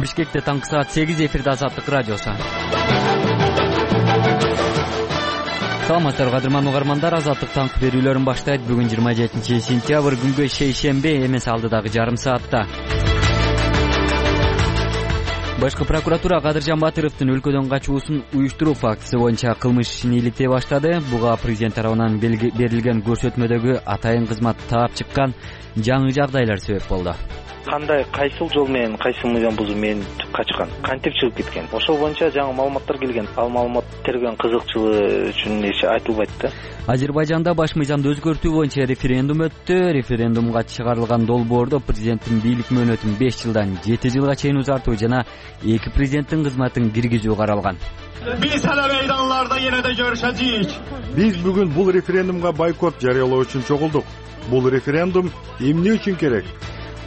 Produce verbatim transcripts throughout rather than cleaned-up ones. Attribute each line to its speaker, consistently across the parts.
Speaker 1: Бишкекте таңкы саат сегиз, эфирде Азаттык радиосу. Саламатсыздарбы кадырман угармандар, Азаттык таңкы берүүлөрүн баштайт. Бүгүн жыйырма жетинчи сентябрь, күнгө шейшемби, эмес алдыдагы жарым саатта. Башкы прокуратура Кадыржан Батыровдун өлкөдөн качуусун уюштуруу фактысы боюнча кылмыш ишин иликтей баштады. Буга президент тарабынан берилген көрсөтмөдөгү атайын кызмат таап чыккан жаңы жагдайлар себеп болду.
Speaker 2: Кандай кайсыл жол менен кайсыл мыйзам бузуу менен качкан, кантип чыгып кеткен, ошол боюнча жаңы маалыматтар келген. Ал маалымат терген кызыкчылыгы үчүн эч айтылбайт да.
Speaker 1: Азербайжанда баш мыйзамды өзгөртүү боюнча референдум өттү. Референдумга чыгарылган долбоордо президенттин бийлик мөөнөтүн беш жылдан жети жылга чейин узартуу жана эки президенттин кызматын киргизүү каралган.
Speaker 3: Биз эле мейданларда эне да көрүшөжүк.
Speaker 4: Биз бүгүн бул референдумга бойкот жарыялоо үчүн чогулдук. Бул референдум эмне үчүн керек?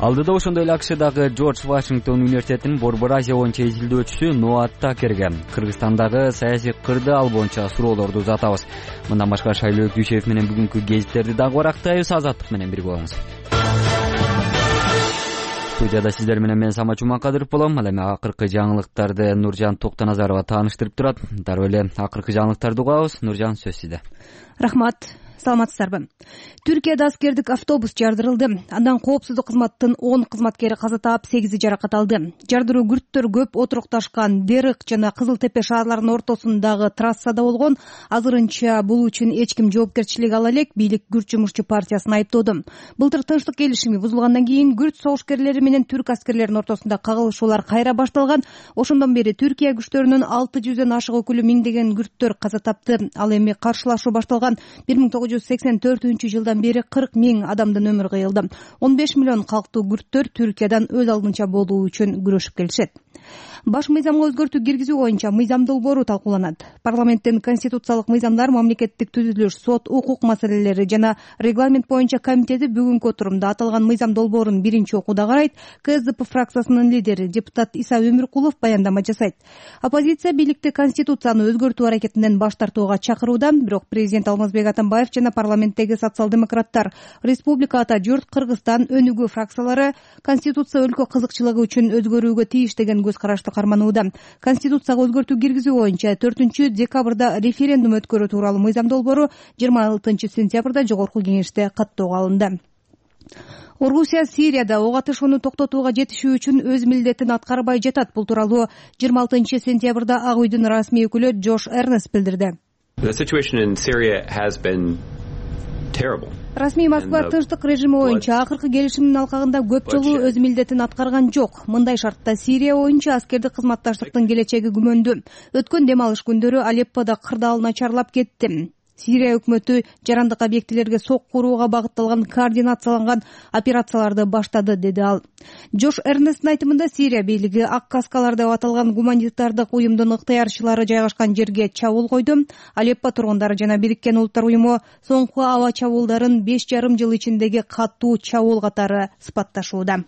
Speaker 1: Алдыда ошондой эле АКШдагы Джордж Вашингтон университетинин Борбор Азия боюнча изилдөөчүсү Нуат Такерге Кыргызстандагы саясий кырды ал боюнча суроолорду узатабыз. Мындан башка Шайлоо Дүйшеев менен бүгүнкү гезиттерди дагы барактайбыз. Азаттык менен бирге болуңуз. Студияда сиздер менен мен Самат Жумакадыров болом. Ал эми акыркы жаңылыктарды Нуржан Токтоназарова тааныштырып турат. Дароо эле акыркы жаңылыктарды угабыз. Нуржан, сөз сизде.
Speaker 5: Рахмат. Саламатсыздарбы? Түркияда аскердик автобус жардырылды. Андан коопсуздук кызматтын он кызматкери каза таап, сегизи жаракат алды. Жардыруу күрттөр көп отурукташкан Дерык жана Кызыл Тепе шаарларынын ортосундагы трассада болгон. Азырынча бул үчүн эч ким жоопкерчилик ала элек, бийлик Күрт жумушчу партиясын айыптоодо. Былтыр тынчтык келишими бузулгандан кийин Күрт согушкерлери менен түрк аскерлеринин ортосунда кагылышуулар кайра башталган. Ошондон бери Түркия күчтөрүнүн алты жүздөн ашык өкүлү, миңдеген күрттөр каза тапты. Ал эми каршылашуу башталган бир миң тогуз жүз сексен төртүнчү жылдан бери кырк миң адамдын өмүрү кыйылды. он беш миллион калктуу күрттөр Түркиядан өз алдынча болуу үчүн күрөшүп келишет. Баш мыйзамга өзгөртүү киргизүү боюнча мыйзам долбоору талкууланат. Парламенттин конституциялык мыйзамдар, мамлекеттик түзүлүш, сот, укук маселелери жана регламент боюнча комитети бүгүнкү отурумда аталган мыйзам долбоорун биринчи окууда карайт. КСДП фракциясынын лидери депутат Иса Өмүркулов баяндама жасайт. Оппозиция бийликти конституцияны өзгөртүү аракетинен баш тартууга чакырууда, бирок президент Алмазбек Атамбаев жана парламенттеги социал-демократтар, Республика Ата Журт, Кыргызстан өнүгүү фракциялары конституция өлкө кызыкчылыгы үчүн өзгөрүүгө тийиш деген көз карашты карманууда. Конституцияга өзгөртүү киргизүү боюнча төртүнчү декабрда референдум өткөрүү тууралуу мыйзам долбоору жыйырма алтынчы сентябрда жогорку кеңеште каттоого алынды. Орусия Сирияда ок атышууну токтотууга жетишүү үчүн өз милдетин аткарбай жатат. Бул тууралуу жыйырма алтынчы сентябрда Ак үйдүн расмий өкүлү Джош Эрнест билдирди. Расмий Москва тынчтык режими боюнча акыркы келишимдин алкагында көп жолу өз милдетин аткарган жок. Мындай шартта Сирия боюнча аскердик кызматташтыктын келечеги күмөндүү. Өткөн дем алыш күндөрү Алепподо кырдаал начарлап кетти. Сирия өкмөтү жарандык объектилерге сок курууга багытталган координацияланган операцияларды баштады, деди ал. Джош Эрнесттин айтымында Сирия бийлиги Ак каскалар деп аталган гуманитардык уюмдун ыктыярчылары жайгашкан жерге чабуул койду. Алеппо тургундары жана Бириккен Улуттар уюму соңку аба чабуулдарын беш жарым жыл ичиндеги катуу чабуул катары сыпатташууда.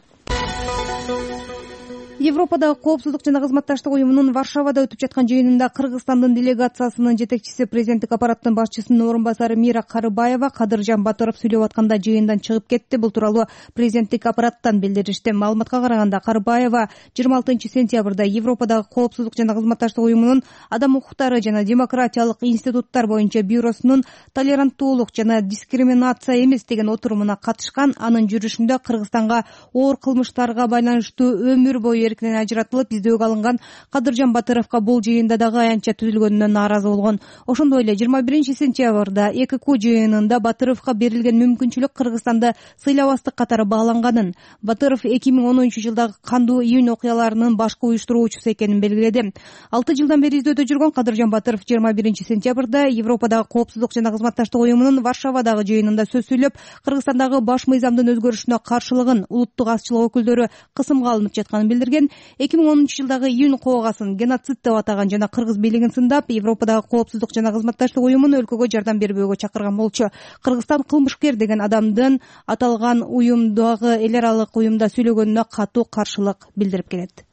Speaker 5: Европадагы коопсуздук жана кызматташтык уюмунун Варшавада өтүп жаткан жыйынында Кыргызстандын делегациясынын жетекчиси, президенттик аппараттын башчысынын орун басары Мира Карыбаева Кадыржан Батыров сүйлөп атканда жыйындан чыгып кетти. Бул тууралуу президенттик аппараттан билдиришти. Маалыматка караганда Карыбаева жыйырма алтынчы сентябрда Европадагы коопсуздук жана кызматташтык уюмунун адам укуктары жана демократиялык институттар боюнча бюросунун толеранттуулук жана дискриминация эмес деген отурумуна катышкан. Анын жүрүшүндө Кыргызстанга оор кылмыштарга байланыштуу өмүр бою эркинен ажыратылып издөөгө алынган Кадыржан Батыровго бул жыйында дагы аянтча түзүлгөнүнөн нааразы болгон. Ошондой эле жыйырма биринчи сентябрда ЭКК жыйынында Батыровго берилген мүмкүнчүлүк Кыргызстанды сыйлабастык катары бааланганын, Батыров эки миң онунчу жылдагы кандуу июнь окуяларынын башкы уюштуруучусу экенин белгиледи. алты жылдан бери издөөдө жүргөн Кадыржан Батыров жыйырма биринчи сентябрда Европадагы коопсуздук жана кызматташтык уюмунун Варшавадагы жыйынында сөз сүйлөп, Кыргызстандагы баш мыйзамдын өзгөрүшүнө каршылыгын, улуттук азчылык өкүлдөрү кысымга алынып жатканын билдирген. эки миң онунчу жылдагы июнь коогасын геноцид деп атаган жана кыргыз бийлигин сындап, Европадагы коопсуздук жана кызматташтык уюмун өлкөгө жардам бербөөгө чакырган болчу. Кыргызстан кылмышкер деген адамдын аталган уюмдагы эл аралык уюмда сүйлөгөнүнө катуу каршылык билдирип келет.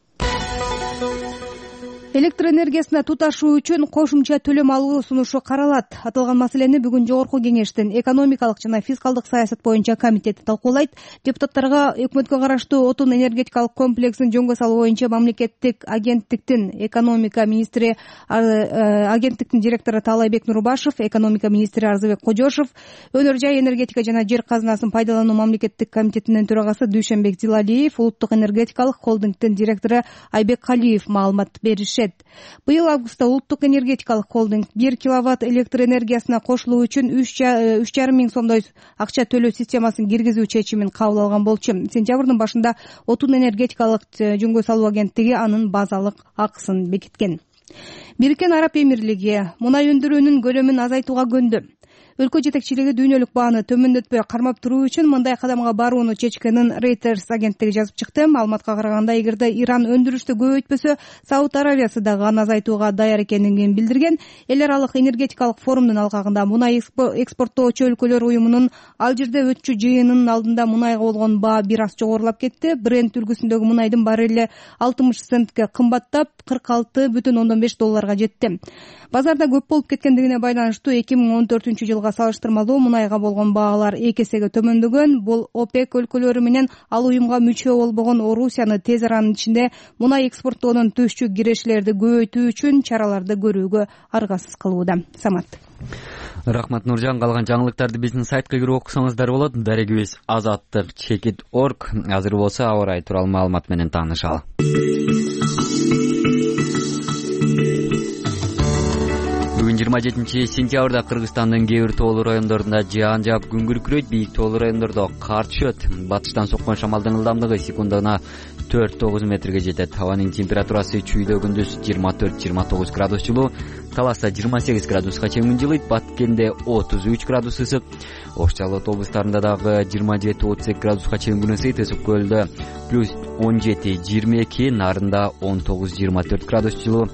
Speaker 5: электр энергиясына туташуу үчүн кошумча төлөм алуу сунушу каралат. Аталган маселени бүгүн жогорку кеңештин экономикалык жана фискалдык саясат боюнча комитети талкуулайт. Депутаттарга өкмөткө караштуу отун энергетикалык комплексин жөнгө салуу боюнча мамлекеттик агенттиктин экономика министри агенттиктин директору Таалайбек Нурбашев, экономика министри Арзыбек Кожошов, өнөр жай энергетика жана жер казынасын пайдалануу мамлекеттик комитетинин төрагасы Дүйшөнбек Зилалиев, улуттук энергетикалык холдингдин директору Айбек Калиев маалымат беришет. Быйыл августта улуттук энергетикалык холдинг бир киловатт электр энергиясына кошулуу үчүн үч жарым миң сомдой акча төлөө системасын киргизүү чечимин кабыл алган болчу. Сентябрдын башында отун энергетикалык жөнгө салуу агенттиги анын базалык акысын бекиткен. Бириккен Араб Эмирлиги мунай өндүрүүнүн көлөмүн азайтууга көндү. Өлкө жетекчилиги дүйнөлүк бааны төмөндөтпөй кармап туруу үчүн мындай кадамга барууну чечкенин Reuters агенттиги жазып чыкты. Маалыматка караганда, эгерде Иран өндүрүштү көбөйтпөсө, Сауд Аравиясы дагы аны азайтууга даяр экенин билдирген. Эл аралык энергетикалык форумдун алкагында мунай экспорттоочу өлкөлөр уюмунун ал жерде өтчү жыйынынын алдында мунайга болгон баа бир аз жогорулап кетти. Brent үлгүсүндөгү мунайдын баррели алтымыш центке кымбаттап, кырк алты бүтүн ондон беш долларга жетти. Базарда көп болуп кеткендигине байланыштуу эки миң он төртүнчү жылга салыштырмалуу мунайга болгон баалар эки эсеге төмөндөгөн. Бул ОПЕК өлкөлөрү менен ал уюмга мүчө болбогон Орусияны тез аранын ичинде мунай экспорттоодон түшчү кирешилерди көбөйтүү үчүн чараларды көрүүгө аргасыз кылууда. Самат.
Speaker 1: Рахмат Нуржан. Калган жаңылыктарды биздин сайтка кирип окусаңыздар болот. Дарегибиз азаттык чекит точка орг. Азыр болсо аба ырайы тууралуу маалымат менен таанышалы. Бүгүн жыйырма жетинчи сентябрда Кыргызстандын кээ бир тоолуу райондорунда жаан жаап күн күркүрөйт, бийик тоолуу райондордо кар түшөт. Батыштан соккон шамалдын ылдамдыгы секундына төрт тогуз метрге жетет. Абанын температурасы чүйдө күндүз жыйырма төрт жыйырма тогуз градус жылуу, Таласта жыйырма сегиз градуска чейин жылыйт, Баткенде отуз үч градус ысык, Ош Жалал облустарында дагы жыйырма жети отуз эки градуска чейин күн ысыйт. Ысык көлдө плюс он жети жыйырма эки, Нарында он тогуз жыйырма төрт градус жылуу.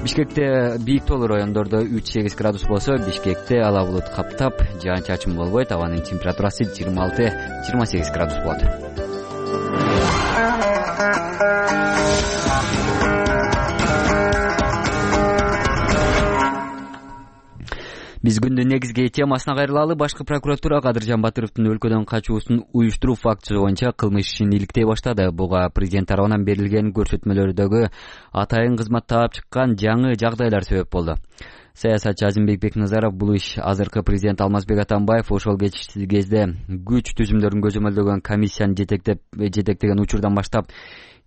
Speaker 1: Бишкекте бийик тоолуу райондордо үч сегиз градус болсо, Бишкекте ала булут каптап, жаан чачын болбойт. Абанын температурасы жыйырма алты жыйырма сегиз градус болот. Биз күндүн негизги темасына кайрылалы. Башкы прокуратура Кадыржан Батыровдун өлкөдөн качуусун уюштуруу фактысы боюнча кылмыш ишин иликтей баштады. Буга президент тарабынан берилген көрсөтмөлөрдөгү атайын кызмат таап чыккан жаңы жагдайлар себеп болду. Саясатчы Азимбек Бекназаров бул иш азыркы президент Алмазбек Атамбаев ошол кезде күч түзүмдөрүн көзөмөлдөгөн комиссияны жетектеп жетектеген учурдан баштап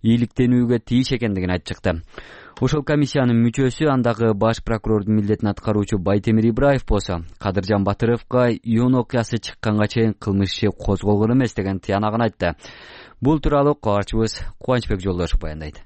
Speaker 1: иликтенүүгө тийиш экендигин айтып чыкты. Ошол комиссиянын мүчөсү, андагы баш прокурордун милдетин аткаруучу Байтемир Ибраев болсо, Кадыржан Батыровго июнь окуясы чыкканга чейин кылмыш иши козголгон эмес деген тыянагын айтты. Бул тууралуу кабарчыбыз Кубанычбек Жолдошев баяндайт.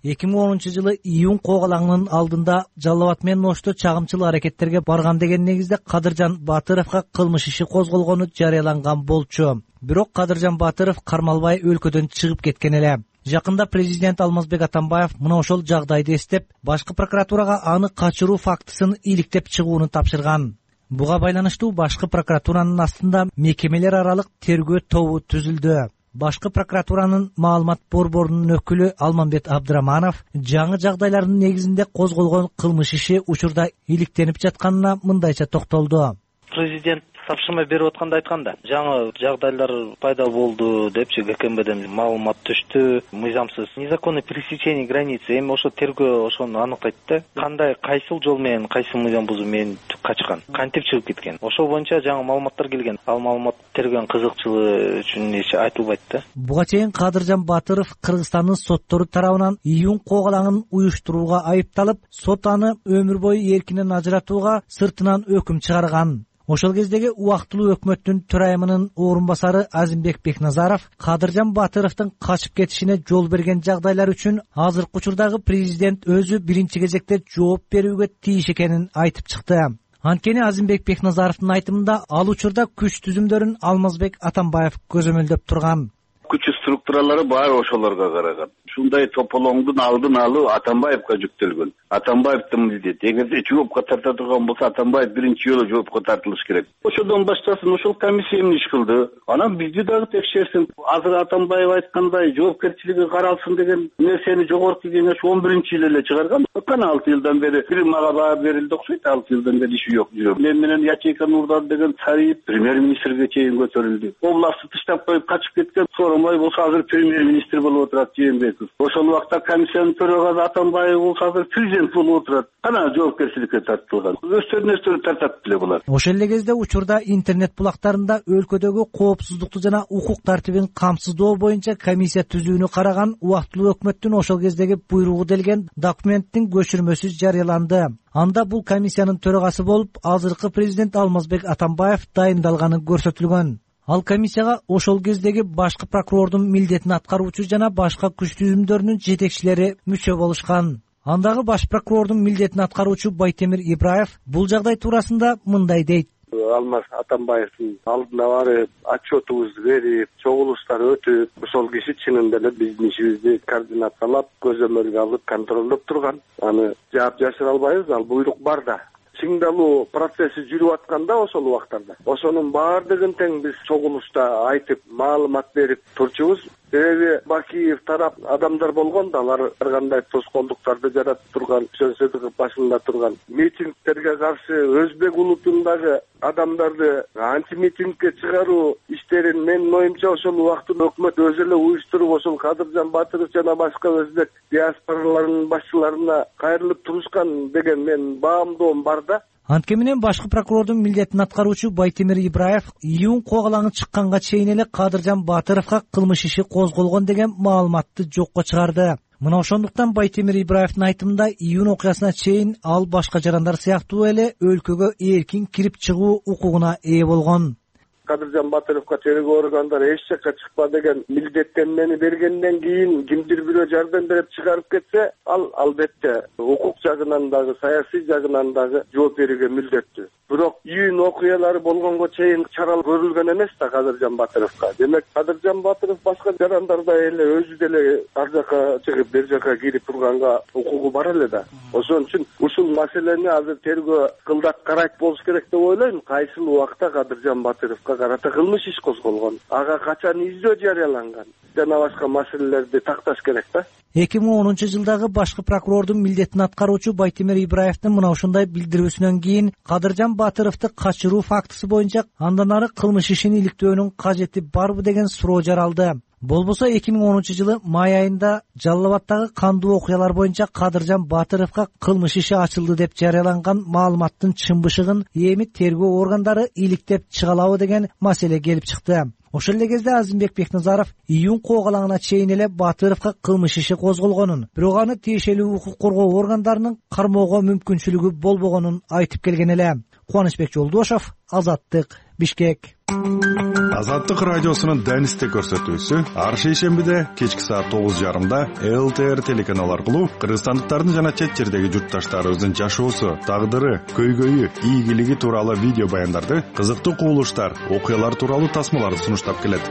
Speaker 6: эки миң онунчу жылы июнь когалаңынын алдында Жалал Абад менен Ошто чагымчыл аракеттерге барган деген негизде Кадыржан Батыровго кылмыш иши козголгону жарыяланган болчу. Бирок Кадыржан Батыров кармалбай өлкөдөн чыгып кеткен эле. Жакында президент Алмазбек Атамбаев мына ошол жагдайды эстеп, башкы прокуратурага аны качыруу фактысын иликтеп чыгууну тапшырган. Буга байланыштуу башкы прокуратуранын астында мекемелер аралык тергөө тобу түзүлдү. Башкы прокуратуранын маалымат борборунун өкүлү Алмамбет Абдыраманов жаңы жагдайлардын негизинде козголгон кылмыш иши учурда иликтенип жатканына мындайча токтолду.
Speaker 2: Президент тапшырма берип атканда айтканда, жаңы жагдайлар пайда болду депчи, ГКМБден маалымат түштү, мыйзамсыз незаконный пересечение границы. Эми ошо тергөө ошону аныктайт да, кандай кайсыл жол менен, кайсы мыйзам бузуп менен качкан, кантип чыгып кеткен. Ошол боюнча жаңы маалыматтар келген. Ал маалымат тергөөнүн кызыкчылыгы үчүн эч айтылбайт да.
Speaker 6: Буга чейин Кадыржан Батыров Кыргызстандын соттору тарабынан июнь когалаңын уюштурууга айыпталып, сот аны өмүр бою эркинен ажыратууга сыртынан өкүм чыгарган. Ошол кездеги убактылуу өкмөттүн төрайымынын орун басары Азимбек Бекназаров Кадыржан Батыровдун качып кетишине жол берген жагдайлар үчүн азыркы учурдагы президент өзү биринчи кезекте жооп берүүгө тийиш экенин айтып чыкты. Анткени Азимбек Бекназаровдун айтымында ал учурда күч түзүмдөрүн Алмазбек Атамбаев көзөмөлдөп турган.
Speaker 7: күч структуралары баары ошолорго караган. Ушундай тополоңдун алдын алуу Атамбаевга жүктөлгөн. Атамбаевдин милдети. Эгерде жоопко тарта турган болсо, Атамбаев биринчи жолу жоопко тартылыш керек. Ошодон баштасын, ошол комиссия эмне иш кылды? Анан бизди дагы текшерсин. Азыр Атамбаев айткандай жоопкерчилиги каралсын деген нерсени жогорку кеңеш он биринчи жылы эле чыгарган. Кана алты жылдан бери бир мага баа берилди окшойт. алты жылдан бери иши жок. Мен менен Ячейка Нурдан деген Цариев премьер-министрге чейин көтөрүлдү. Областты тыштап коюп качып кеткен Сооронбай болсо азыр премьер-министр болуп отурат, Жээнбеков. Ошол убакта комиссиянын төрагасы Атамбаев болсо азыр президент болуп отурат. Кана жоопкерчиликке тартылган. Өздөрүнө өздөрү тартат беле булар.
Speaker 6: Ошол эле кезде учурда интернет булактарында өлкөдөгү коопсуздукту жана укук тартибин камсыздоо боюнча комиссия түзүүнү караган убактылуу өкмөттүн ошол кездеги буйругу делген документтин көчүрмөсү жарыяланды. Анда бул комиссиянын төрагасы болуп азыркы президент Алмазбек Атамбаев дайындалганы көрсөтүлгөн. Ал комиссияга ошол кездеги башкы прокурордун милдетин аткаруучу жана башка күч түзүмдөрүнүн жетекчилери мүчө болушкан. Андагы баш прокурордун милдетин аткаруучу Байтемир Ибраев бул жагдай туурасында мындай дейт.
Speaker 8: Алмаз Атамбаевдин алдына барып, отчетубузду берип, чогулуштар өтүп, ошол киши чынында эле биздин ишибизди координациялап, көзөмөлгө алып, контролдоп турган. Аны жаап жашыра албайбыз, ал буйрук бар да. Чыңдалуу процесси жүрүп атканда ошол убактарда. Ошонун баардыгын тең биз чогулушта айтып, маалымат берип турчубуз. Себеби Бакиев тарап адамдар болгон да, алар ар кандай тоскоолдуктарды жаратып турган, сөзсөздүк башында турган. Митингтерге каршы өзбек улутундагы адамдарды антимитингге чыгаруу иштерин менин оюмча ошол убакытта өкмөт өзү эле уюштуруп, ошол Кадыржан Батыров жана башка өзбек диаспораларынын башчыларына кайрылып турушкан деген менин баамдоом бар да.
Speaker 6: Антке менен башкы прокурордун милдетин аткаруучу Байтемир Ибраев июнь когалаңы чыкканга чейин эле Кадыржан Батыровго кылмыш иши козголгон деген маалыматты жокко чыгарды. Мына ошондуктан Байтемир Ибраевдин айтымында июнь окуясына чейин ал башка жарандар сыяктуу эле өлкөгө эркин кирип чыгуу укугуна ээ болгон.
Speaker 8: Кадыржан Батыровго тергөө органдары эч жакка чыкпа деген милдеттенмени бергенден кийин кимдир бирөө жардам берип чыгарып кетсе, ал албетте укук жагынан дагы, саясий жагынан дагы жооп берүүгө милдеттүү. Бирок июнь окуялары болгонго чейин чара көрүлгөн эмес да Кадыржан Батыровго. Демек Кадыржан Батыров башка жарандардай эле өзү деле ар жака чыгып, бер жака кирип турганга укугу бар эле да. Ошон үчүн ушул маселени азыр тергөө кылдат карайт болуш керек деп ойлойм. Кайсыл убакта Кадыржан Батыровго карата кылмыш иш козголгон, ага качан издөө жарыяланган жана башка маселелерди такташ керек да.
Speaker 6: эки миң онунчу жылдагы башкы прокурордун милдетин аткаруучу Байтемир Ибраевдин мына ушундай билдирүүсүнөн кийин Кадыржан Батыровду качыруу фактысы боюнча андан ары кылмыш ишин иликтөөнүн кажети барбы деген суроо жаралды. Болбосо эки миң онунчу жылы май айында Жалал Абаддагы кандуу окуялар боюнча Кадыржан Батыровго кылмыш иши ачылды деп жарыяланган маалыматтын чын-бышыгын эми тергөө органдары иликтеп чыгалабы деген маселе келип чыкты. Ошол эле кезде Азимбек Бекназаров июнь когалаңына чейин эле Батыровго кылмыш иши козголгонун, бирок аны тиешелүү укук коргоо органдарынын кармоого мүмкүнчүлүгү болбогонун айтып келген эле. Кубанычбек Жолдошов, Азаттык, Бишкек.
Speaker 4: Азаттык радиосунун Данисте көрсөтүүсү ар шейшембиде кечки саат тогуз жарымда эл тэ эр телеканалы аркылуу кыргызстандыктардын жана чет жердеги журтташтарыбыздын жашоосу, тагдыры, көйгөйү, ийгилиги тууралуу видео баяндарды, кызыктуу кубулуштар, окуялар тууралуу тасмаларды сунуштап келет.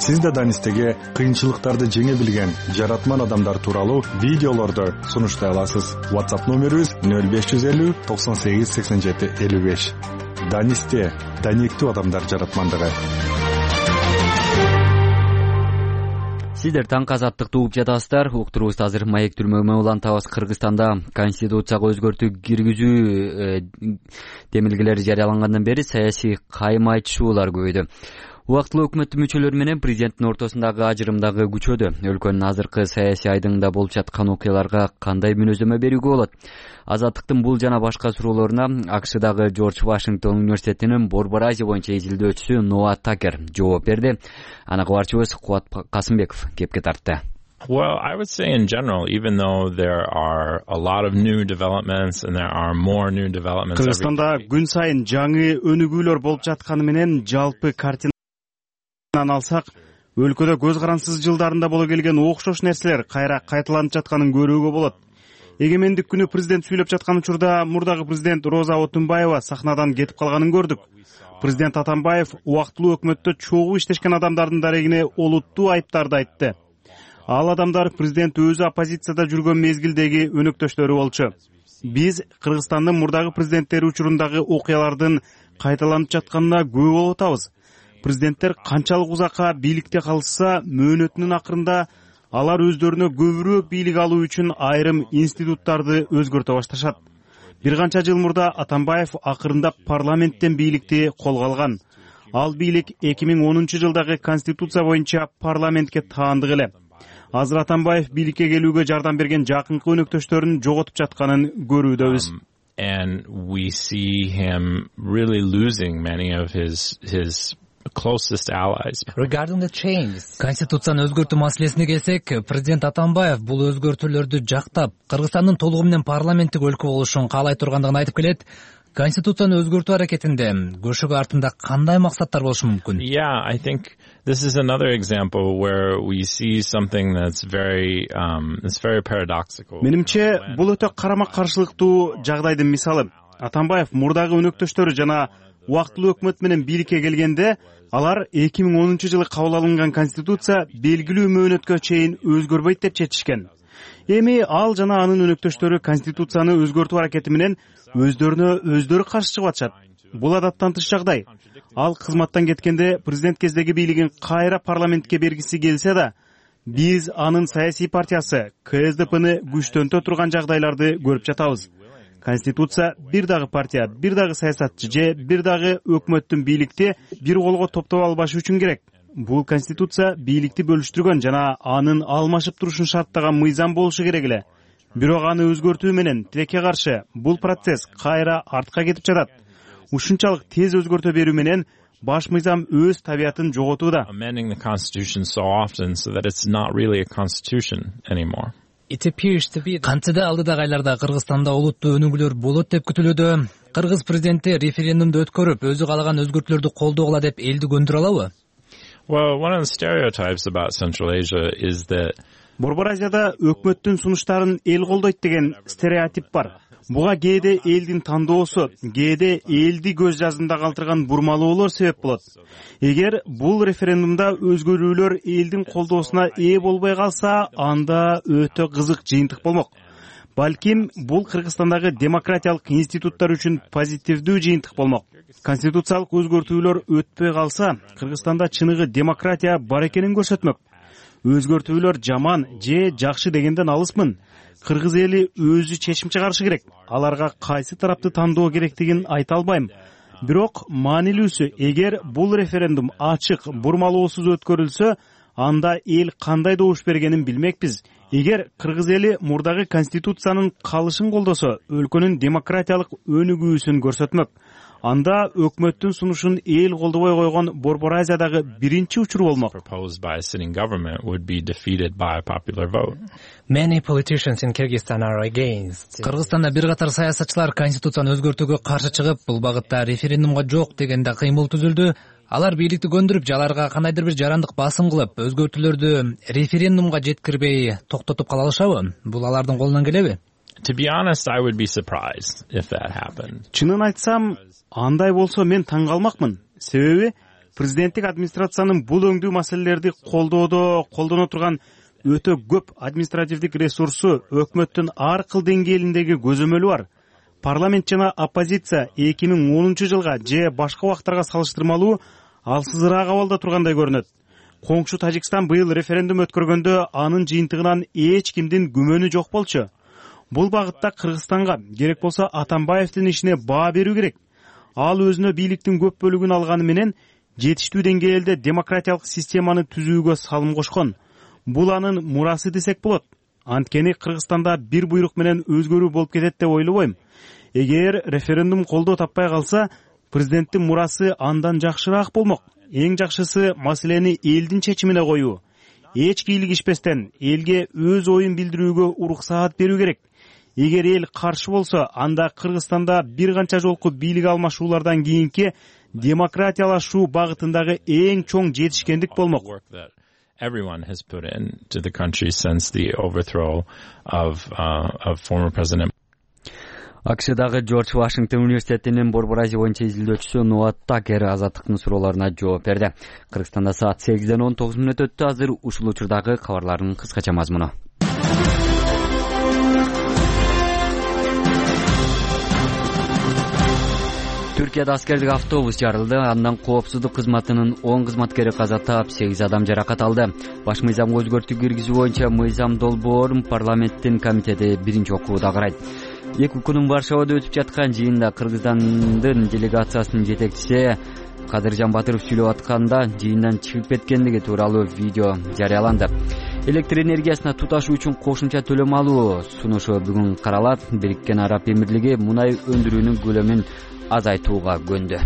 Speaker 4: Сиз да Данистеге кыйынчылыктарды жеңе билген жаратман адамдар тууралуу видеолорду сунуштай аласыз. WhatsApp номерибиз нөл беш жүз элүү токсон сегиз сексен жети элүү беш. Данисте даниктүү адамдар жаратмандыгы.
Speaker 1: Сиздер таңкы азаттыкты угуп жатасыздар. Уктурубузду азыр маек түрмөгүнө улантабыз. Кыргызстанда конституцияга өзгөртүү киргизүү демилгелери жарыялангандан бери саясий кайма айтышуулар көбөйдү. Убактылуу өкмөттүн мүчөлөрү менен президенттин ортосундагы ажырым дагы күчөдү. Өлкөнүн азыркы саясий айдыңында болуп жаткан окуяларга кандай мүнөздөмө берүүгө болот? Азаттыктын бул жана башка суроолоруна АКШдагы Джордж Вашингтон университетинин Борбор Азия боюнча изилдөөчүсү Ноа Такер жооп берди. Аны кабарчыбыз Кубат Касымбеков кепке тартты.
Speaker 9: Well, I would say in general, even though there are a lot of new developments and there are more new developments.
Speaker 10: Кыргызстанда күн сайын жаңы өнүгүүлөр болуп жатканы менен жалпы картина алсак, өлкөдө көз карансыз жылдарында боло келген окшош нерселер кайра кайталанып жатканын көрүүгө болот. Эгемендик күнү президент сүйлөп жаткан учурда мурдагы президент Роза Отунбаева сахнадан кетип калганын көрдүк. Президент Атамбаев убактылуу өкмөттө чогуу иштешкен адамдардын дарегине олуттуу айыптарды айтты. Ал адамдар президент өзү оппозицияда жүргөн мезгилдеги өнөктөштөрү болчу. Биз Кыргызстандын мурдагы президенттери учурундагы окуялардын кайталанып жатканына күбө болуп атабыз. Президенттер канчалык узакка бийликте калышса, мөөнөтүнүн акырында алар өздөрүнө көбүрөөк бийлик алуу үчүн айрым институттарды өзгөртө башташат. Бир канча жыл мурда Атамбаев акырындап парламенттен бийликти колго алган. Ал бийлик эки миң онунчу жылдагы конституция боюнча парламентке таандык эле. Азыр Атамбаев бийликке келүүгө жардам берген жакынкы өнөктөштөрүн жоготуп жатканын көрүүдөбүз.
Speaker 9: And we see him really losing many of his his closest allies.
Speaker 11: Regarding the changes, Конституцияны өзгөртүү маселесине келсек, президент Атамбаев бул өзгөртүүлөрдү жактап, Кыргызстандын толугу менен парламенттик өлкө болушун каалай тургандыгын айтып келет. Конституцияны өзгөртүү аракетинде көшөгө артында кандай максаттар болушу мүмкүн?
Speaker 9: Yeah, I think this is another example where we see something that's very um it's very paradoxical.
Speaker 10: Менимче, бул өтө карама-каршылыктуу жагдайдын мисалы. Атамбаев мурдагы өнөктөштөрү жана убактылуу өкмөт менен бийликке келгенде алар эки миң онунчу жылы кабыл алынган конституция белгилүү мөөнөткө чейин өзгөрбөйт деп чечишкен. Эми ал жана анын өнөктөштөрү конституцияны өзгөртүү аракети менен өздөрүнө өздөрү каршы чыгып атышат. Бул адаттан тыш жагдай. Ал кызматтан кеткенде президент кездеги бийлигин кайра парламентке бергиси келсе да, биз анын саясий партиясы Ка Эс Де Пны күчтөнтө турган жагдайларды көрүп жатабыз. Конституция бир дагы партия, бир дагы саясатчы же бир дагы өкмөттүн бийликти бир колго топтоп албашы үчүн керек. Бул конституция бийликти бөлүштүргөн жана анын алмашып турушун шарттаган мыйзам болушу керек эле. Бирок аны өзгөртүү менен тилекке каршы бул процесс кайра артка кетип жатат. Ушунчалык тез өзгөртө берүү менен баш мыйзам өз табиятын жоготууда.
Speaker 9: Amending the constitution so often so that it's not really a constitution anymore.
Speaker 11: Кантсе алдыдагы айларда Кыргызстанда олуттуу өнүгүүлөр болот деп күтүлүүдө. Кыргыз президенти референдумду өткөрүп, өзү каалаган өзгөртүүлөрдү колдогула деп элди көндүрө алабы?
Speaker 9: Well, one of the stereotypes about Central Asia is that
Speaker 10: Борбор Азияда өкмөттүн сунуштарын эл колдойт деген стереотип бар. Буга кээде элдин тандоосу, кээде элди көз жазында калтырган бурмалоолор себеп болот. Эгер бул референдумда өзгөрүүлөр элдин колдоосуна ээ болбой калса, анда өтө кызык жыйынтык болмок. Балким бул Кыргызстандагы демократиялык институттар үчүн позитивдүү жыйынтык болмок. Конституциялык өзгөртүүлөр өтпөй калса, Кыргызстанда чыныгы демократия бар экенин көрсөтмөк. Өзгөртүүлөр жаман же жакшы дегенден алысмын. Кыргыз эли өзү чечим чыгарышы керек. Аларга кайсы тарапты тандоо керектигин айта албайм. Бирок маанилүүсү, эгер бул референдум ачык, бурмалоосуз өткөрүлсө, анда эл кандай добуш бергенин билмекпиз. Эгер кыргыз эли мурдагы конституциянын калышын колдосо, өлкөнүн демократиялык өнүгүүсүн көрсөтмөк. Анда өкмөттүн сунушун эл колдобой койгон Борбор Азиядагы биринчи учур болмок.
Speaker 9: Proposed by a sitting government would be defeated by a popular vote.
Speaker 11: Many politicians in Kyrgyzstan are against. Кыргызстанда бир катар саясатчылар конституцияны өзгөртүүгө каршы чыгып, бул багытта референдумга жок дегенде кыймыл түзүлдү. Алар бийликти көндүрүп, жаларга кандайдыр бир жарандык басым кылып, өзгөртүүлөрдү референдумга жеткирбей токтотуп кала алышабы? Бул алардын колунан келеби?
Speaker 9: To be honest, I would be surprised if that happened.
Speaker 10: Чынын айтсам, андай болсо мен таң калмакмын. Себеби президенттик администрациянын бул өңдүү маселелерди колдоодо колдоно турган өтө көп административдик ресурсу өкмөттүн ар кыл деңгээлиндеги көзөмөлү бар. Парламент жана оппозиция эки миң онунчу жылга же башка убактарга салыштырмалуу алсызыраак абалда тургандай көрүнөт. Коңшу Тажикстан быйыл референдум өткөргөндө анын жыйынтыгынан эч кимдин күмөнү жок болчу. Бул багытта Кыргызстанга, керек болсо Атамбаевдин ишине баа берүү керек. Ал өзүнө бийликтин көп бөлүгүн алганы менен жетиштүү деңгээлде демократиялык системаны түзүүгө салым кошкон. Бул анын мурасы десек болот. Анткени Кыргызстанда бир буйрук менен өзгөрүү болуп кетет деп ойлобойм. Эгер референдум колдоо таппай калса, президенттин мурасы андан жакшыраак болмок. Эң жакшысы маселени элдин чечимине коюу. Эч кийлигишпестен элге өз оюн билдирүүгө уруксаат берүү керек. Эгер эл каршы болсо, анда Кыргызстанда бир канча жолку бийлик алмашуулардан кийинки демократиялашуу багытындагы эң чоң жетишкендик болмок.
Speaker 9: everyone has put into the country since the overthrow of uh, of former President.
Speaker 1: АКШдагы Джордж Вашингтон университетинин Борбор Азия боюнча изилдөөчүсү Нуат Такер азаттыктын суроолоруна жооп берди. Кыргызстанда саат сегизден он тогуз мүнөт өттү. Азыр ушул учурдагы кабарлардын кыскача мазмуну. Түркияда аскердик автобус жарылды. Андан коопсуздук кызматынын он кызматкери каза таап, сегиз адам жаракат алды. Баш мыйзамга өзгөртүү киргизүү боюнча мыйзам долбоорун парламенттин комитети биринчи окууда карайт. Эки күнүн Варшавада өтүп жаткан жыйында Кыргызстандын делегациясынын жетекчиси Кадыржан Батыров сүйлөп атканда жыйындан чыгып кеткендиги тууралуу видео жарыяланды. Электр энергиясына туташуу үчүн кошумча төлөм алуу сунушу бүгүн каралат. Бириккен Араб Эмирлиги мунай өндүрүүнүн көлөмүн азайтууга көндү.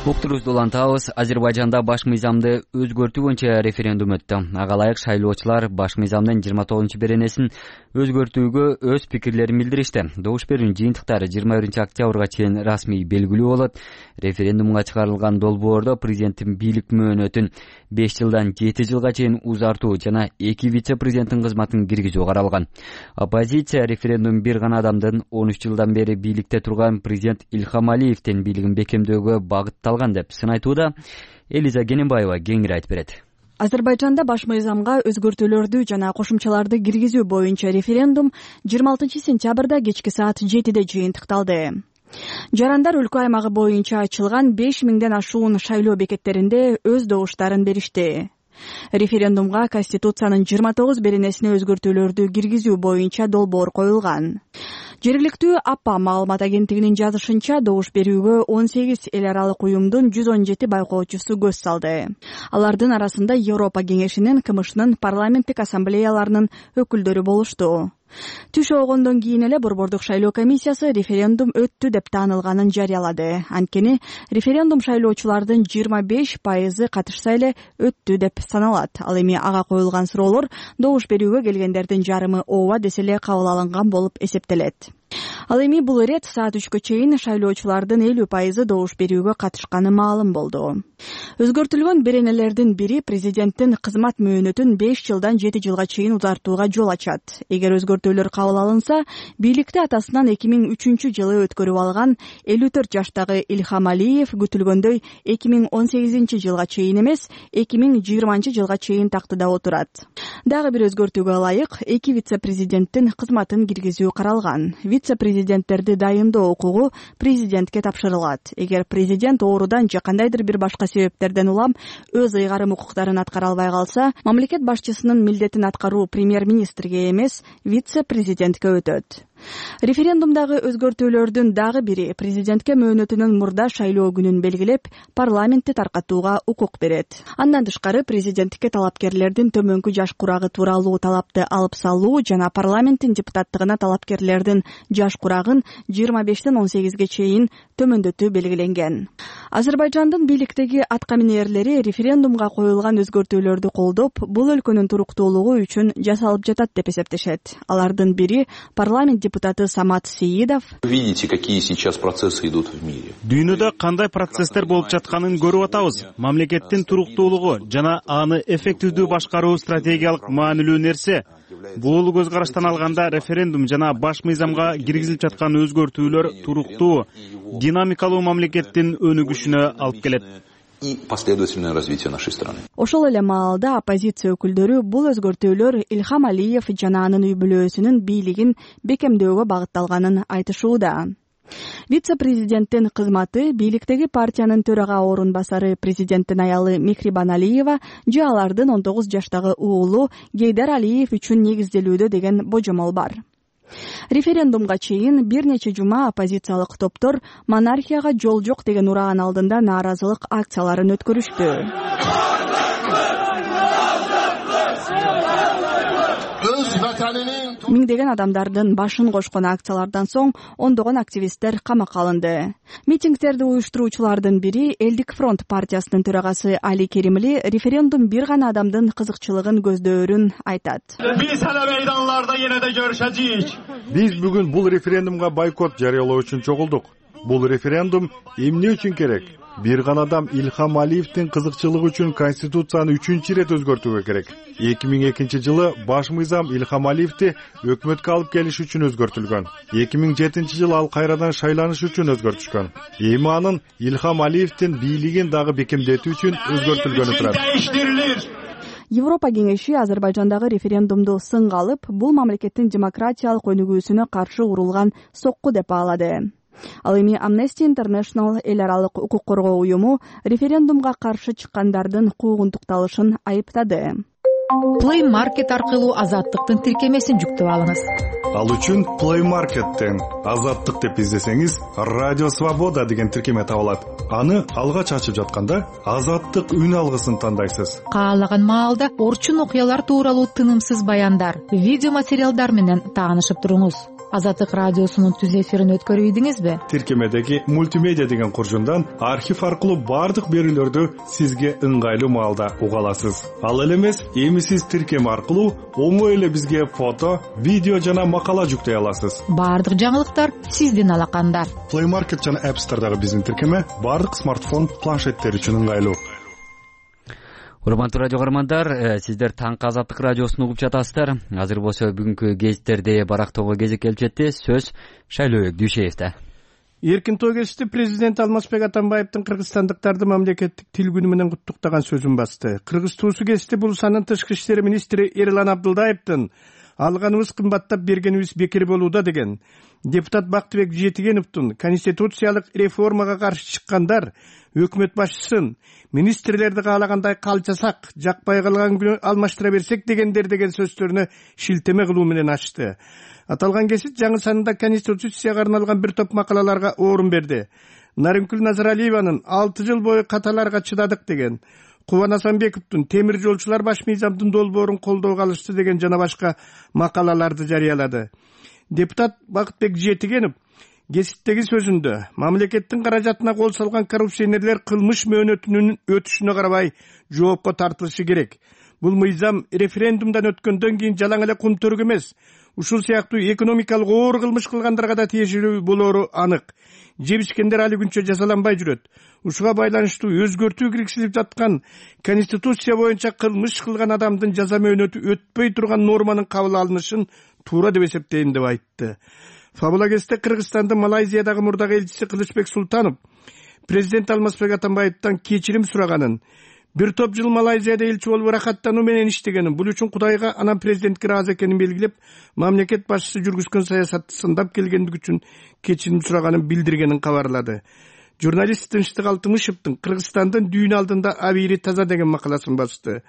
Speaker 1: Уктурубузду улантабыз. Азербайжанда баш мыйзамды өзгөртүү боюнча референдум өттү. Ага ылайык шайлоочулар баш мыйзамдын жыйырма тогузунчу беренесин өзгөртүүгө өз пикирлерин билдиришти. Добуш берүүнүн жыйынтыктары жыйырма биринчи октябрга чейин расмий белгилүү болот. Референдумга чыгарылган долбоордо президенттин бийлик мөөнөтүн беш жылдан жети жылга чейин узартуу жана эки вице-президенттин кызматын киргизүү каралган. Оппозиция референдум бир гана адамдын он үч жылдан бери бийликте турган президент Ильхам Алиевдин бийлигин бекемдөөгө багытталган деп сын айтууда. Элиза Гененбаева кеңири айтып берет.
Speaker 12: Азербайжанда баш мыйзамга өзгөртүүлөрдү жана кошумчаларды киргизүү боюнча референдум жыйырма алтынчы сентябрда кечки саат жетиде жыйынтыкталды. Жарандар өлкө аймагы боюнча ачылган беш миңден ашуун шайлоо бекеттеринде өз добуштарын беришти. Референдумга Конституциянын жыйырма тогуз беренесине өзгөртүүлөрдү киргизүү боюнча долбоор коюлган. Жергиликтүү АПА маалымат агенттигинин жазышынча, добуш берүүгө он сегиз эл аралык уюмдун жүз он жети байкоочусу көз салды. Алардын арасында Европа кеңешинин, КМШнын парламенттик ассамблеяларынын өкүлдөрү болушту. Түш оогондон кийин эле Борбордук шайлоо комиссиясы референдум өттү деп таанылганын жарыялады. Анткени референдум шайлоочулардын жыйырма беш пайызы катышса эле өттү деп саналат. Ал эми ага коюлган суроолор добуш берүүгө келгендердин жарымы ооба десе эле кабыл алынган болуп эсептелет. Ал эми бул ирет саат үчкө чейин шайлоочулардын элүү пайызы добуш берүүгө катышканы маалым болду. Өзгөртүлгөн беренелердин бири президенттин кызмат мөөнөтүн беш жылдан жети жылга чейин узартууга жол ачат. Эгер өзгөртүүлөр кабыл алынса, бийликти атасынан эки миң үчүнчү жылы өткөрүп алган элүү төрт жаштагы Ильхам Алиев күтүлгөндөй эки миң он сегизинчи жылга чейин эмес, эки миң жыйырманчы жылга чейин тактыда отурат. Дагы бир өзгөртүүгө ылайык эки вице-президенттин кызматын киргизүү каралган. Вице-президенттерди дайындоо укугу президентке тапшырылат. Эгер президент оорудан же кандайдыр бир башка себептерден улам өз ыйгарым укуктарын аткара албай калса, мамлекет башчысынын милдетин аткаруу премьер-министрге эмес, вице-президентке өтөт. Референдумдагы өзгөртүүлөрдүн дагы бири президентке мөөнөтүнүн мурда шайлоо күнүн белгилеп, парламентти таркатууга укук берет. Андан тышкары президенттикке талапкерлердин төмөнкү жаш курагы тууралуу талапты алып салуу жана парламенттин депутаттыгына талапкерлердин жаш курагын жыйырма бештен он сегизге чейин төмөндөтүү белгиленген. Азербайжандын бийликтеги аткаминерлери референдумга коюлган өзгөртүүлөрдү колдоп, бул өлкөнүн туруктуулугу үчүн жасалып жатат деп эсептешет. Алардын бири парламент депутаты Самат Сеидов.
Speaker 13: Видите, какие сейчас процессы идут в мире.
Speaker 10: Дүйнөдө кандай процесстер болуп жатканын көрүп атабыз. Мамлекеттин туруктуулугу жана аны эффективдүү башкаруу стратегиялык маанилүү нерсе. Бул көз караштан алганда референдум жана баш мыйзамга киргизилип жаткан өзгөртүүлөр туруктуу, динамикалуу мамлекеттин өнүгүшүнө алып келет.
Speaker 13: И последовательное развитие нашей страны.
Speaker 12: Ошол эле маалда оппозиция өкүлдөрү бул өзгөртүүлөр Ильхам Алиев жана анын үй бүлөсүнүн бийлигин бекемдөөгө багытталганын айтышууда. Вице-президенттин кызматы бийликтеги партиянын төрага орун басары президенттин аялы Мехрибан Алиева же алардын он тогуз жаштагы уулу Гейдар Алиев үчүн негизделүүдө деген божомол бар. Референдумга чейин бир нече жума оппозициялык топтор монархияга жол жок деген ураан алдында нааразылык акцияларын өткөрүштү. Миңдеген адамдардын башын кошкон акциялардан соң ондогон активисттер камакка алынды. Митингдерди уюштуруучулардын бири Элдик фронт партиясынын төрагасы Али Керимли референдум бир гана адамдын кызыкчылыгын көздөөрүн айтат.
Speaker 3: Биз эле мейданларда эне да көрүшөчүк.
Speaker 4: Биз бүгүн бул референдумга бойкот жарыялоо үчүн чогулдук. Бул референдум эмне үчүн керек? бир гана адам Илхам Алиевдин кызыкчылыгы үчүн конституцияны үчүнчү ирет өзгөртүүгө керек. эки миң экинчи жылы баш мыйзам Илхам Алиевди өкмөткө алып келиш үчүн өзгөртүлгөн. эки миң жетинчи жылы ал кайрадан шайланыш үчүн өзгөртүшкөн. Эми анын Илхам Алиевдин бийлигин дагы бекемдетүү үчүн өзгөртүлгөнү турат.
Speaker 12: Европа кеңеши Азербайжандагы референдумду сынга алып, бул мамлекеттин демократиялык өнүгүүсүнө каршы урулган сокку деп баалады. Ал эми Amnesty International эл аралык укук коргоо уюму референдумга каршы чыккандардын куугунтукталышын айыптады.
Speaker 14: Play Market аркылуу азаттыктын тиркемесин жүктөп алыңыз.
Speaker 4: Ал үчүн Play Market'тен азаттык деп издесеңиз, Радио Свобода деген тиркеме табылат. Аны алгач ачып жатканда азаттык үн алгысын тандайсыз.
Speaker 14: Каалаган маалда орчун окуялар тууралуу тынымсыз баяндар, видео материалдар менен таанышып туруңуз. Азаттык радиосунун түз эфирин өткөрүп ийдиңизби?
Speaker 4: Тиркемедеги мультимедиа деген куржундан архив аркылуу бардык берүүлөрдү сизге ыңгайлуу маалда уга аласыз. Ал эле эмес, эми сиз тиркеме аркылуу оңой эле бизге фото, видео жана макала жүктөй аласыз.
Speaker 14: Бардык жаңылыктар сиздин алаканда.
Speaker 4: Play Market жана App Store'дагы биздин тиркеме бардык смартфон, планшеттер үчүн ыңгайлуу.
Speaker 1: Урматтуу радио көрөрмандар, сиздер таңкы Азаттык радиосун угуп жатасыздар. Азыр болсо бүгүнкү гезиттерди барактоого кезек келип жетти. Сөз Шайлообек Дүйшеевде.
Speaker 15: Эркин той кечти президент Алмазбек Атамбаевдин кыргызстандыктарды мамлекеттик тил күнү менен куттуктаган сөзүн басты. Кыргыз туусу кечти Булусанын тышкы иштер министри Эрлан Абдылдаевдин алганыбыз кымбаттап, бергенибиз бекер болууда деген. Депутат Бактыбек Жетигеновдун конституциялык реформага каршы чыккандар өкмөт башчысын министрлерди каалагандай калчасак, жакпай калган күнү алмаштыра берсек дегендер деген сөздөрүнө шилтеме кылуу менен ачты. Аталган кесип жаңы санында конституцияга арналган бир топ макалаларга орун берди. Нарымкүл Назаралиеванын алты жыл бою каталарга чыдадык деген, Кубан Асанбековдун темир жолчулар баш мыйзамдын долбоорун колдоого алышты деген жана башка макалаларды жарыялады. Депутат Бактыбек Жетигенов кесиптеги сөзүндө мамлекеттин каражатына кол салган коррупционерлер кылмыш мөөнөтүнүн өтүшүнө карабай жоопко тартылышы керек. Бул мыйзам референдумдан өткөндөн кийин жалаң эле кумтөрүк эмес, ушул сыяктуу экономикалык оор кылмыш кылгандарга да тиешелүү болоору анык. Жебишкендер али күнчө жазаланбай жүрөт. Ушуга байланыштуу өзгөртүү киргизилип жаткан конституция боюнча кылмыш кылган адамдын жаза мөөнөтү өтпөй турган норманын кабыл алынышын туура деп эсептейм деп айтты. Фабула кезде Кыргызстандын Малайзиядагы мурдагы элчиси Кылычбек Султанов президент Алмазбек Атамбаевден кечирим сураганын, бир топ жыл Малайзияда элчи болуп ырахаттануу менен иштегенин, бул үчүн Кудайга анан президентке ыраазы экенин белгилеп, мамлекет башчысы жүргүзгөн саясатты сындап келгендик үчүн кечирим сураганын билдиргенин кабарлады. Журналист Тынчтык Алтымышевдин Кыргызстандын дүйнө алдында абийири таза деген макаласын басты.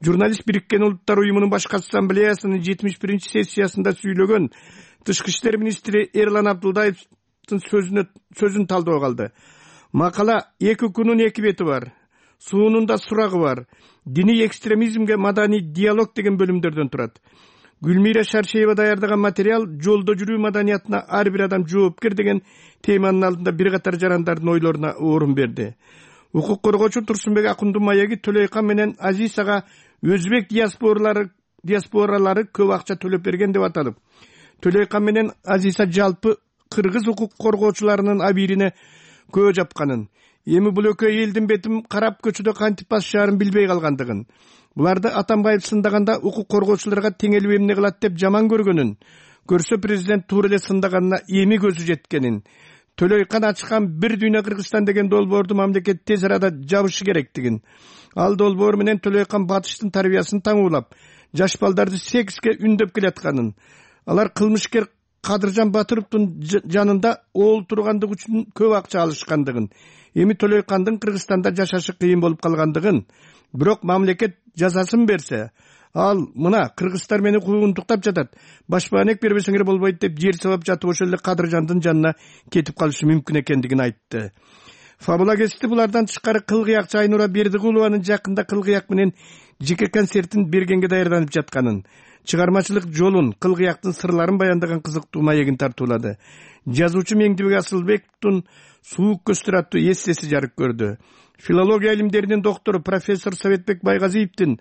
Speaker 15: Журналист Бириккен Улуттар уюмунун башкы ассамблеясынын жетимиш биринчи сессиясында сүйлөгөн Тышкы иштер министри Эрлан Абдылдаевдин сөзүнө сөзүн талдоого алды. Макала эки күнүн эки бети бар. Суунун да сурагы бар. Диний экстремизмге маданий диалог деген бөлүмдөрдөн турат. Гүлмира Шаршеева даярдаган материал жолдо жүрүү маданиятына ар бир адам жоопкер деген теманын алдында бир катар жарандардын ойлоруна орун берди. Укук коргоочу Турсунбек Акундун маеги Төлөйкан менен Азисага өзбек диаспоралары диаспоралары көп акча төлөп берген деп аталып, Төлөйкан менен Азиса жалпы кыргыз укук коргоочуларынын абийирине көө жапканын, эми бул экөө элдин бетин карап көчөдө кантип басышаарын билбей калгандыгын, буларды Атамбаев сындаганда укук коргоочуларга теңелип эмне кылат деп жаман көргөнүн, көрсө президент туура эле сындаганына эми көзү жеткенин, Төлөйкан ачкан бир дүйнө Кыргызстан деген долбоорду мамлекет тез арада жабышы керектигин, ал долбоор менен Төлөйкан батыштын тарбиясын таңуулап, жаш балдарды секске үндөп келатканын, алар кылмышкер Кадыржан Батыровдун жанында оол тургандыгы үчүн көп акча алышкандыгын, эми Төлөйкандын Кыргызстанда жашашы кыйын болуп калгандыгын, бирок мамлекет жазасын берсе, ал мына кыргыздар мени куугунтуктап жатат, башпаанек бербесеңер болбойт деп жер сабап жатып ошол эле Кадыржандын жанына кетип калышы мүмкүн экендигин айтты. Фабула кести булардан тышкары Кылгыякчы Айнура Бердигулованын жакында Кылгыяк менен жеке концертин бергенге даярданып жатканын, чыгармачылык жолун, Кылгыяктын сырларын баяндаган кызыктуу маегин тартуулады. Жазуучу Меңдибек Асылбековдун Суук көздөр аттуу эссеси жарык көрдү. Филология илимдеринин доктору профессор Советбек Байгазиевдин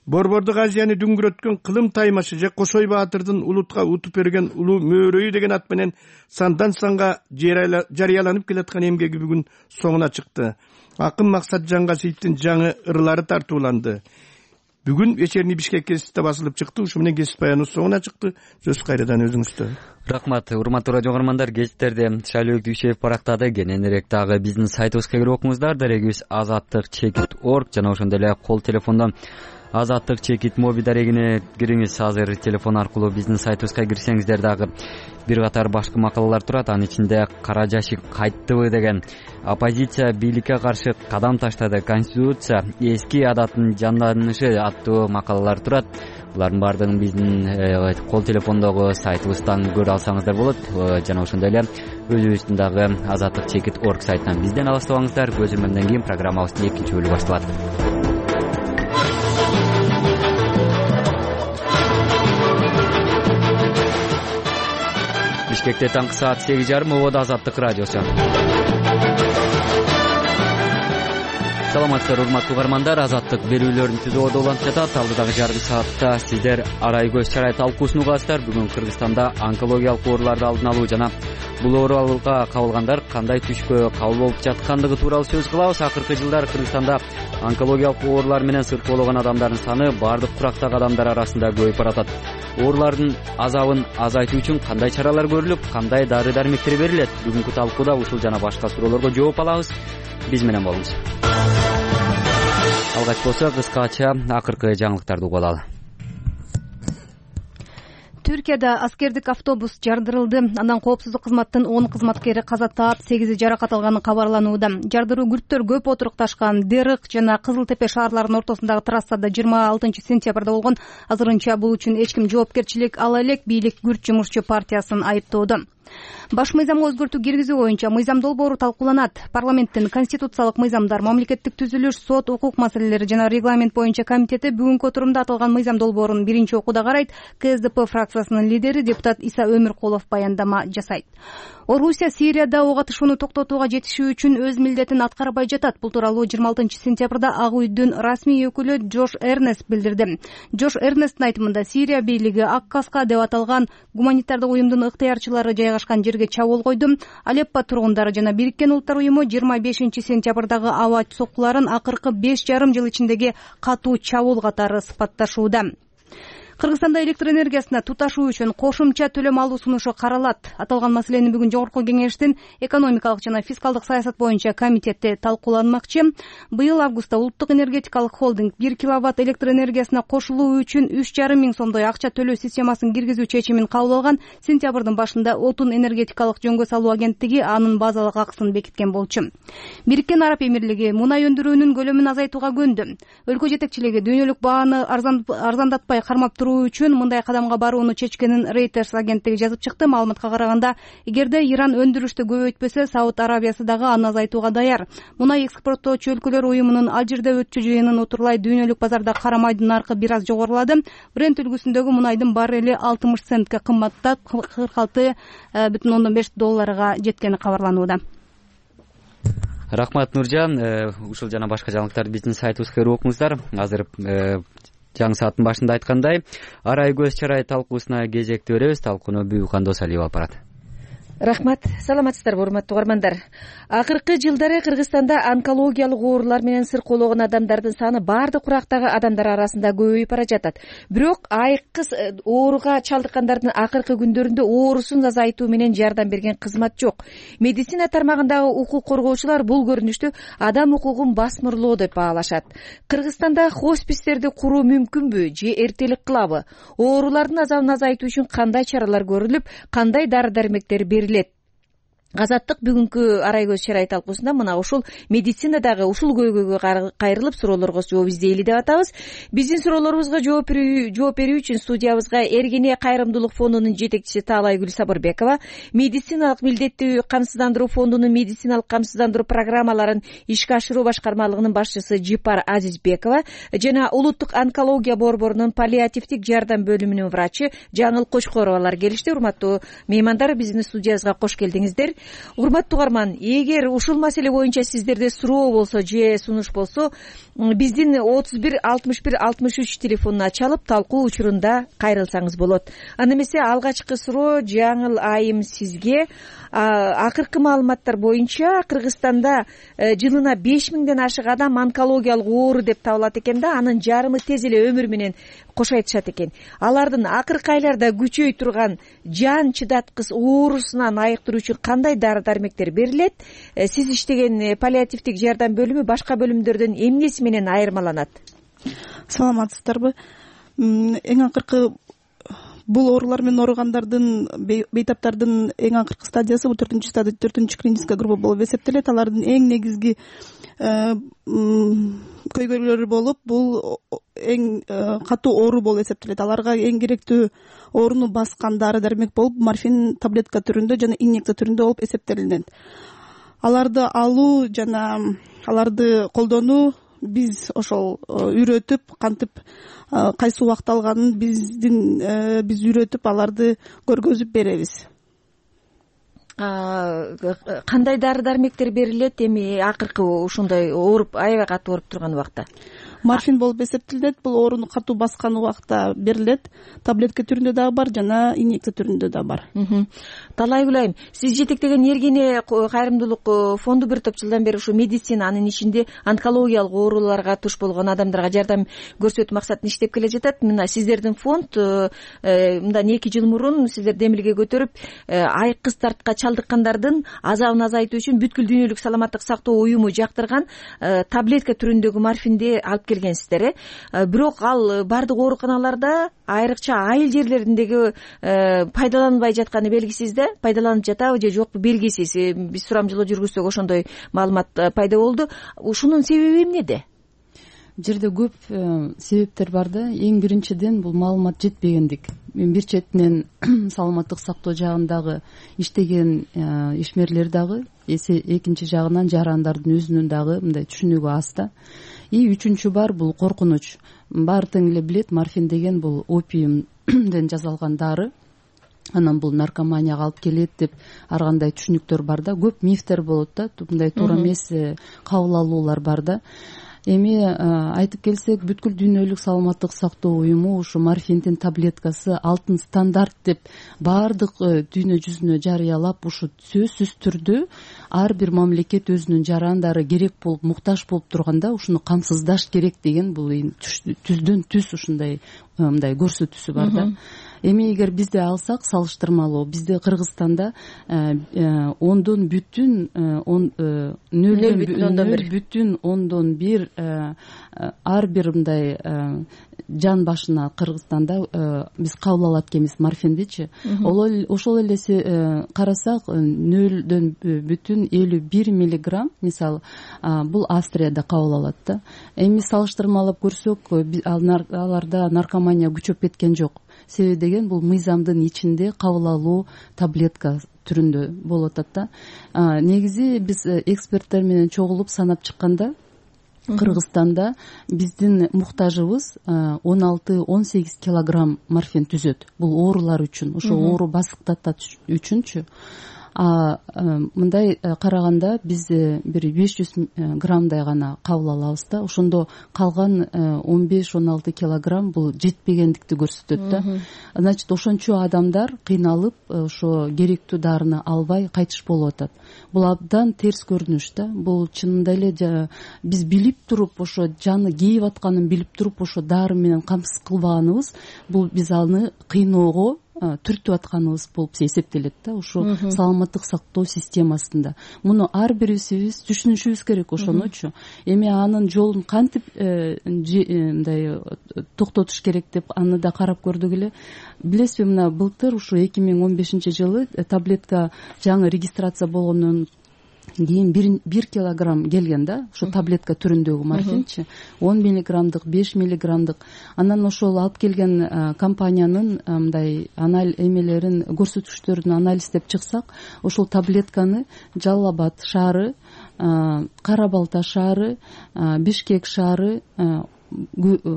Speaker 15: Борбордук Азияны дүңгүрөткөн кылым таймашы же Кошой Баатырдын улутка утуп берген улуу мөөрөйү деген ат менен сандан санга жарыяланып келаткан эмгеги бүгүн соңуна чыкты. Акын Максат Жангасиевдин жаңы ырлары тартууланды. Бүгүн вечерний Бишкек гезитте басылып чыкты. Ушу менен гезит баяныбыз соңуна чыкты. Сөз кайрадан өзүңүздө.
Speaker 1: Рахмат. Урматтуу радио угармандар, гезиттерде Шайлоо Дүйшеев барактады. Кененирээк дагы биздин сайтыбызга кирип окуңуздар. Дарегибиз азаттык чекит точка орг жана ошондой эле кол телефондон азаттык чекит моби дарегине кириңиз. Азыр телефон аркылуу биздин сайтыбызга кирсеңиздер дагы бир катар башкы макалалар турат. Анын ичинде кара жашик кайттыбы деген, оппозиция бийликке каршы кадам таштады, конституция эски адатын жанданышы аттуу макалалар турат. Булардын баардыгын биздин кол телефондогу сайтыбыздан көрө алсаңыздар болот. Жана ошондой эле өзүбүздүн дагы азаттык чекит точка орг сайтынан бизден алыстабаңыздар. Көзөмөлдөн кийин программабыздын экинчи бөлүгү башталат. Бишкекте таңкы саат сегиз жарым, ободо Азаттык радиосу. Саламатсыздар урматтуу угармандар, азаттык берүүлөрүн түзүүдө уланып жатат. Алдыдагы жарым саатта сиздер арай көз чарай талкуусун угасыздар. Бүгүн Кыргызстанда онкологиялык ооруларды алдын алуу жана бул ооруларга кабылгандар кандай түшкө кабыл болуп жаткандыгы тууралуу сөз кылабыз. Акыркы жылдары Кыргызстанда онкологиялык оорулар менен сыркоологон адамдардын саны бардык курактагы адамдар арасында көбөйүп баратат. Оорулардын азабын азайтуу үчүн кандай чаралар көрүлүп, кандай дары дармектер берилет? Бүгүнкү талкууда ушул жана башка суроолорго жооп алабыз. Биз менен болуңуз. Алгач болсо кыскача акыркы жаңылыктарды угуп алалы.
Speaker 5: Түркияда аскердик автобус жардырылды. Андан коопсуздук кызматтын он кызматкери каза таап, сегизи жаракат алганы кабарланууда. Жардыруу күрттөр көп отурукташкан Дерык жана Кызыл Тепе шаарларынын ортосундагы трассада жыйырма алтынчы сентябрда болгон. Азырынча бул үчүн эч ким жоопкерчилик ала элек. Бийлик Күрт жумушчу партиясын айыптоодо. Баш мыйзамга өзгөртүү киргизүү боюнча мыйзам долбоору талкууланат. Парламенттин конституциялык мыйзамдар, мамлекеттик түзүлүш, сот, укук маселелери жана регламент боюнча комитети бүгүнкү отурумда аталган мыйзам долбоорун биринчи окууда карайт. КСДП фракциясынын лидери депутат Иса Өмүркулов баяндама жасайт. Орусия Сирияда ок атышууну токтотууга жетишүү үчүн өз милдетин аткарбай жатат. Бул тууралуу жыйырма алтынчы сентябрда Ак үйдүн расмий өкүлү Джош Эрнест билдирди. Джош Эрнесттин айтымында Сирия бийлиги Ак Каска деп аталган гуманитардык уюмдун ыктыярчылары жайгашкан жерге чабуул койду. Алеппо тургундары жана Бириккен Улуттар уюму жыйырма бешинчи сентябрдагы аба соккуларын акыркы беш жарым жыл ичиндеги катуу чабуул катары сыпатташууда. Кыргызстанда электр энергиясына туташуу үчүн кошумча төлөм алуу сунушу каралат. Аталган маселени бүгүн жогорку кеңештин экономикалык жана фискалдык саясат боюнча комитети талкууланмакчы. Быйыл августта улуттук энергетикалык холдинг бир киловатт электр энергиясына кошулуу үчүн үч жарым миң сомдой акча төлөө системасын киргизүү чечимин кабыл алган. Сентябрдын башында Отун энергетикалык жөнгө салуу агенттиги анын базалык акысын бекиткен болчу. Бириккен Араб Эмирлиги мунай өндүрүүнүн көлөмүн азайтууга көндү. Өлкө жетекчилиги дүйнөлүк бааны арзандатпай кармап туруу үчүн мындай кадамга барууну чечкенин Reuters агенттиги жазып чыкты. Маалыматка караганда, эгерде Иран өндүрүштү көбөйтпөсө, Сауд Арабиясы дагы аны азайтууга даяр. Мунай экспорттоочу өлкөлөр уюмунун Алжирде өтчү жыйынын утурлай дүйнөлүк базарда кара майдын наркы бир аз жогорулады. Брент үлгүсүндөгү мунайдын баррели алтымыш центке кымбаттап кырк алты бүтүн ондон беш долларга жеткени кабарланууда.
Speaker 1: Рахмат, Нуржан. Ушул жана башка жаңылыктарды биздин сайтыбызга кирип окуңуздар. Азыр жаңы сааттын башында айткандай, арай көз чарай талкуусуна кезекти беребиз. Талкууну Бүбүкан Досалиева алып барат.
Speaker 16: Рахмат. Саламатсыздарбы, урматтуу угармандар. Акыркы жылдары Кыргызстанда онкологиялык оорулар менен сыркоологон адамдардын саны бардык курактагы адамдар арасында көбөйүп бара жатат. Бирок айыккы ооруга чалдыккандардын акыркы күндөрүндө оорусун азайтуу менен жардам берген кызмат жок. Медицина тармагындагы укук коргоочулар бул көрүнүштү адам укугун басмырлоо деп баалашат. Кыргызстанда хоспистерди куруу мүмкүнбү же эртелик кылабы? Оорулардын азабын азайтуу үчүн кандай чаралар көрүлүп, кандай дары-дармектер берилет? Азаттык бүгүнкү арай көз чарай талкуусунда мына ушул медицинадагы ушул көйгөйгө кайрылып суроолорго жооп издейли деп атабыз. Биздин суроолорубузга жооп берүү үчүн студиябызга Эргене кайрымдуулук фондунун жетекчиси Таалайгүл Сабырбекова, медициналык милдеттүү камсыздандыруу фондунун медициналык камсыздандыруу программаларын ишке ашыруу башкармалыгынын башчысы Жипар Азизбекова жана улуттук онкология борборунун паллиативдик жардам бөлүмүнүн врачы Жаңыл Кочкоровалар келишти. Урматтуу меймандар, биздин студиябызга кош келдиңиздер. урматтуу угарман, эгер ушул маселе боюнча сиздерде суроо болсо же сунуш болсо, биздин отуз бир алтымыш бир алтымыш үч телефонуна чалып талкуу учурунда кайрылсаңыз болот. Анда эмесе алгачкы суроо Жаңыл айым сизге. Акыркы маалыматтар боюнча Кыргызстанда жылына беш миңден ашык адам онкологиялык оору деп табылат экен да, анын жарымы тез эле өмүр менен кош айтышат экен. Алардын акыркы айларда күчөй турган жан чыдаткыс оорусунан айыктыруу үчүн кандай дары-дармектер берилет? Сиз иштеген паллиативдик жардам бөлүмү башка бөлүмдөрдөн эмнеси менен айырмаланат?
Speaker 17: Саламатсыздарбы? Эң акыркы бул оорулар менен ооругандардын, бейтаптардын эң акыркы стадиясы бул төртүнчү стадия, төртүнчү клиническая группа болуп эсептелет. Алардын эң негизги көйгөйлөрү болуп, бул эң катуу оору болуп эсептелет. Аларга эң керектүү ооруну баскан дары-дармек болуп морфин таблетка түрүндө жана инъекция түрүндө болуп эсептелинет. Аларды алуу жана аларды колдонуу биз ошол үйрөтүп, кантип кайсы убакта алганын биздин биз үйрөтүп аларды көргөзүп беребиз.
Speaker 16: Кандай дары-дармектер берилет эми акыркы ушундай ооруп, аябай катуу ооруп турган убакта?
Speaker 17: Морфин болуп эсептелет. Бул ооруну катуу баскан убакта берилет. Таблетка түрүндө дагы бар жана инъекция түрүндө да бар.
Speaker 16: Талай Гүлайым, сиз жетектеген Эргене кайрымдуулук фонду бир топ жылдан бери ушу медицина, анын ичинде онкологиялык ооруларга туш болгон адамдарга жардам көрсөтүү максатында иштеп келе жатат. Мына сиздердин фонд мындан эки жыл мурун сиздер демилге көтөрүп, айкыз тартка чалдыккандардын азабын азайтуу үчүн бүткүл дүйнөлүк саламаттык сактоо уюму жактырган таблетка түрүндөгү морфинди алып келгенсиздер. Бирок ал бардык ооруканаларда, айрыкча айыл жерлериндеги пайдаланбай жатканы белгисиз да, пайдаланып жатабы же жокпу белгисиз. Биз сурамжылоо жүргүзсөк ошондой маалымат пайда болду. Ушунун себеби эмнеде?
Speaker 18: Жерде көп себептер бар да. Эң биринчиден бул маалымат жетпегендик. Мен бир четинен саламаттык сактоо жагындагы иштеген ишмерлер дагы, экинчи жагынан жарандардын өзүнүн дагы мындай түшүнүгү аз да. И үчүнчү бар бул коркунуч. Баары тең эле билет, морфин деген бул опиумден жасалган дары. Анан бул наркоманияга алып келет деп ар кандай түшүнүктөр бар да. Көп мифтер болот да. Мындай туура эмес кабыл алуулар бар да. Эми айтып келсек, бүткүл дүйнөлүк саламаттык сактоо уюму ушу морфиндин таблеткасы алтын стандарт деп баардык дүйнө жүзүнө жарыялап, ушу сөзсүз түрдө ар бир мамлекет өзүнүн жарандары керек болуп, муктаж болуп турганда ушуну камсыздаш керек деген бул түздөн түз ушундай мындай көрсөтүүсү бар да. Эми эгер бизде алсак салыштырмалуу, бизде Кыргызстанда ондон бүтүн нөл бүтүн ондон бир ар бир мындай жан башына Кыргызстанда биз кабыл алат экенбиз морфиндичи. Ошол эле карасак нөлдөн бүтүн элүү бир миллиграмм, мисалы, бул Австрияда кабыл алат да. Эми салыштырмалап көрсөк, аларда наркомания күчөп кеткен жок. Себеби деген бул мыйзамдын ичинде кабыл алуу таблетка түрүндө болуп атат да. Негизи биз эксперттер менен чогулуп санап чыкканда, Кыргызстанда биздин муктажыбыз он алты он сегиз килограмм морфин түзөт. Бул оорулар үчүн, ошо оору басыктатат үчүнчү. А мындай караганда биз бир беш жүз граммдай гана кабыл алабыз да. Ошондо калган он беш он алты килограмм бул жетпегендикти көрсөтөт да. Значит, ошончо адамдар кыйналып, ошо керектүү дарыны албай кайтыш болуп атат. Бул абдан терс көрүнүш да. Бул чынында эле биз билип туруп, ошо жаны кейип атканын билип туруп, ошо дары менен камсыз кылбаганыбыз, бул биз аны кыйноого түртүп атканыбыз болуп эсептелет да, ушу саламаттык сактоо системасында. Муну ар бирибиз түшүнүшүбүз керек ошонучу. Эми анын жолун кантип мындай токтотуш керек деп аны да карап көрдүк эле. Билесизби, мына былтыр ушу эки миң он бешинчи жылы таблетка жаңы регистрация болгондон кийин бир килограмм келген да, ушу таблетка түрүндөгү морфинчи, он миллиграммдык, беш миллиграммдык. Анан ошол алып келген компаниянын мындай анализ эмелерин, көрсөткүчтөрүн анализдеп чыксак, ошол таблетканы Жалал Абад шаары, Кара Балта шаары, Бишкек шаары,